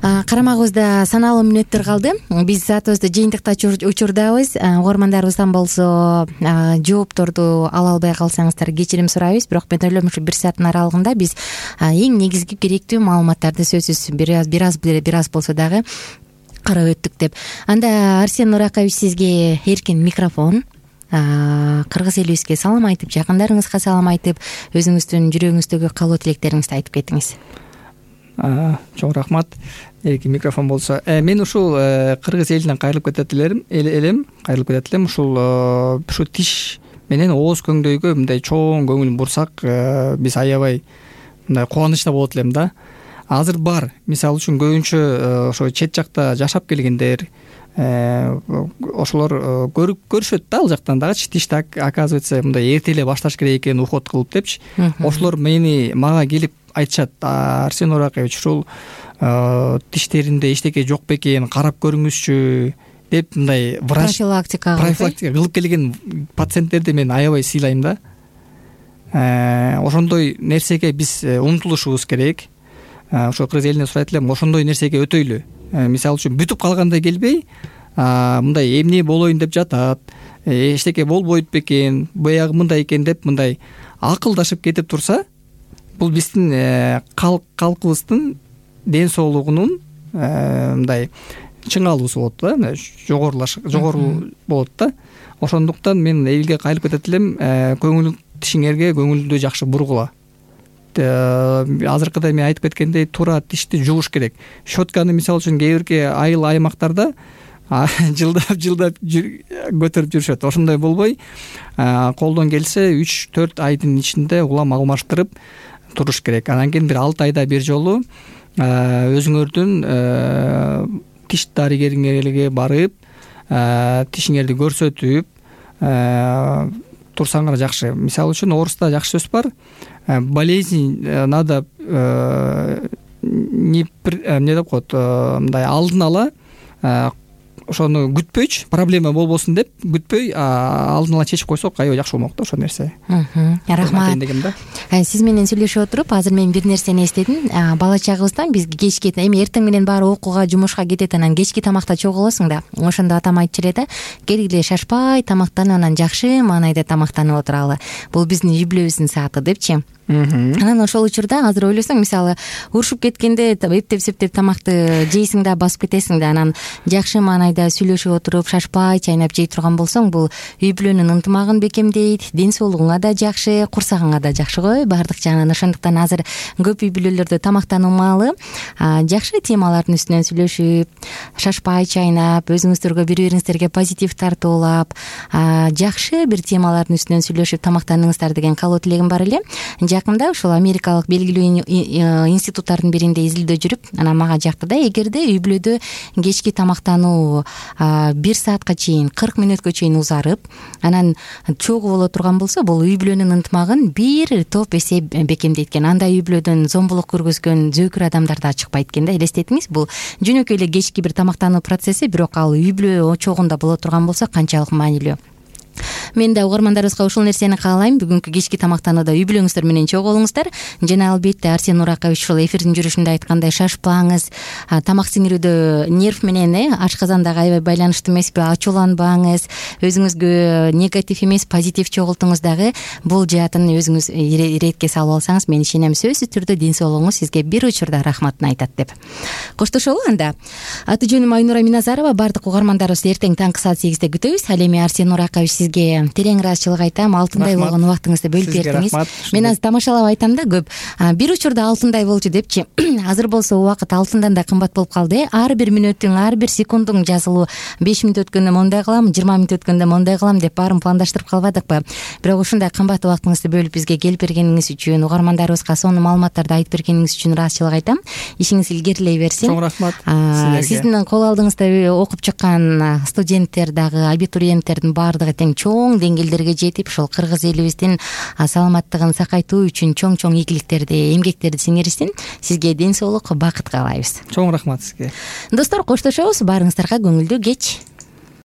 Speaker 2: Карамагыбызда саналуу мүнөттөр калды. Биз саатыбызды жыйынтыктачу учурдабыз. Угармандарыбыздан болсо жоопторду ала албай калсаңыздар кечирим сурайбыз. Бирок мен ойлойм ушу бир сааттын аралыгында биз эң негизги керектүү маалыматтарды сөзсүз бир аз бир аз бир аз болсо дагы карап өттүк деп. Анда Арсен Нуракович, сизге эркин микрофон. Кыргыз элибизге салам айтып, жакындарыңызга салам айтып, өзүңүздүн жүрөгүңүздөгү каалоо тилектериңизди айтып кетиңиз.
Speaker 3: Чоң рахмат. Эркин микрофон болсо, мен ушул кыргыз элинен кайрылып кетет элем, кайрылып кетет элем. Ушул ушу тиш менен ооз көңдөйгө мындай чоң көңүл бурсак, биз аябай мындай кубанычта болот элем да. Азыр бар. Мисалы үчүн көбүнчө ошо чет жакта жашап келгендер, ошолор көрүп көрүшөт да, ал жактан дагычы тишти оказывается мындай эрте эле башташ керек экен, уход кылып депчи. Ошолор мени мага келип айтышат: Арсен Нуракович, ушул тиштеринде эчтеке жок бекен, карап көрүңүзчү деп мындай врач
Speaker 2: профилактика
Speaker 3: профилактика кылып келген пациенттерди мен аябай сыйлайм да. Ошондой нерсеге биз умтулушубуз керек. Ошо кыргыз элине сурайт элем, ошондой нерсеге өтөйлү. Мисалы үчүн бүтүп калгандай келбей, мындай эмне болоюн деп жатат, эчтеке болбойт бекен, буягы мындай экен деп мындай акылдашып кетип турса, бул биздин калкыбыздын ден соолугунун мындай чыңалуусу болот да, жогорулаш жогору болот да. Ошондуктан мен элге кайрылып кетет элем, көңүл тишиңерге көңүлдү жакшы бургула. Азыркыда мен айтып кеткендей, туура тишти жууш керек. Щетканы мисалы үчүн кээ бирки айыл аймактарда жылдап жылдап көтөрүп жүрүшөт. Ошондой болбой колдон келсе үч төрт айдын ичинде улам алмаштырып туруш керек. Анан кийин бир алты айда бир жолу өзүңөрдүн тиш дарыгериңерге барып тишиңерди көрсөтүп турсаңар жакшы. Мисалы үчүн орусда жакшы сөз бар: болезнь надо не деп коет, мындай алдын ала ошону күтпөйчү, проблема болбосун деп күтпөй алдын ала чечип койсок аябай жакшы болмок да ошол нерсе.
Speaker 2: Рахмат. Сиз менен сүйлөшүп отуруп азыр мен бир нерсени эстедим. Бала чагыбыздан биз кечки, эми эртең менен баары окууга, жумушка кетет, анан кечки тамакта чогулосуң да. Ошондо атам айтчу эле да: келгиле шашпай тамактанып, анан жакшы маанайда тамактанып отуралы. Бул биздин үй-бүлөбүздүн сааты депчи. Анан ошол учурда азыр ойлосоң, мисалы урушуп кеткенде эптеп септеп тамакты жейсиң да басып кетесиң да, анан жакшы маанайда сүйлөшүп отуруп шашпай чайнап жей турган болсоң, бул үй-бүлөнүн ынтымагын бекемдейт, ден соолугуңа да жакшы, курсагыңа да жакшы го баардык жагынан. Ошондуктан азыр көп үй-бүлөлөрдө тамактануу маалы жакшы темалардын үстүнөн сүйлөшүп, шашпай чайнап, өзүңүздөргө бири-бириңиздерге позитив тартуулап, жакшы бир темалардын үстүнөн сүйлөшүп тамактаныңыздар деген каалоо тилегим бар эле. Жакында ушул америкалык белгилүү институттардын биринде изилдөө жүрүп, анан мага жакты да, эгерде үй-бүлөдө кечки тамактануу бир саатка чейин, кырк мүнөткө чейин узарып, анан чогуу боло турган болсо, бул үй-бүлөнүн ынтымагын бир топ эсе бекемдейт экен. Андай үй-бүлөдөн зомбулук көргөзгөн зөөкүр адамдар да чыкпайт экен да. Элестетиңиз, бул жөнөкөй эле кечки бир тамактануу процесси, бирок ал үй-бүлө чогунда боло турган болсо канчалык маанилүү. Мен да угармандарыбызга ушул нерсени каалайм. Бүгүнкү кечки тамактанууда үй-бүлөңүздөр менен чогуу болуңуздар. Жана албетте Арсен Уракович ушул эфирдин жүрүшүндө айткандай, шашпаңыз. Тамак сиңирүүдө нерв менен э ашказандагы аябай байланыштуу эмеспи? Ачууланбаңыз. Өзүңүзгө негатив эмес, позитив чогултуңуз дагы. Бул жаатын өзүңүз иретке салып алсаңыз, мен ишенем сөзсүз түрдө ден соолугуңуз сизге бир учурда рахматын айтат деп. Коштошолу анда. Аты жөнүм Айнура Миназарова. Бардык угармандарыбызды эртең таңкы саат сегизде күтөбүз. Ал эми Арсен Уракович сизге терең ыраазычылык айтам. Алтындай болгон убактыңызды бөлүп бердиңиз. Мен азыр тамашалап айтам да, көп бир учурда алтындай болчу депчи. Азыр болсо убакыт алтындан да кымбат болуп калды. Ар бир мүнөттүң, ар бир секундуң жазылуу, беш мүнөт өткөндө мондай кылам, жыйырма мүнөт өткөндө мондай кылам деп баарын пландаштырып калбадыкпы? Бирок ушундай кымбат убактыңызды бөлүп бизге келип бергениңиз үчүн, угармандарыбызга сонун маалыматтарды айтып бергениңиз үчүн ыраазычылык айтам. Ишиңиз илгерилей берсин.
Speaker 3: Чоң рахмат силерге.
Speaker 2: Сиздин кол алдыңызда окуп чыккан студенттер дагы, абитуриенттердин баардыгы тең чоң деңгээлдерге жетип, ушул кыргыз элибиздин саламаттыгын сакайтуу үчүн чоң-чоң ийгиликтерди, эмгектерди сиңиришсин. Сизге ден соолук, бакыт каалайбыз.
Speaker 3: Чоң рахмат сизге.
Speaker 2: Достор, коштошобуз. Баарыңыздарга көңүлдүү кеч.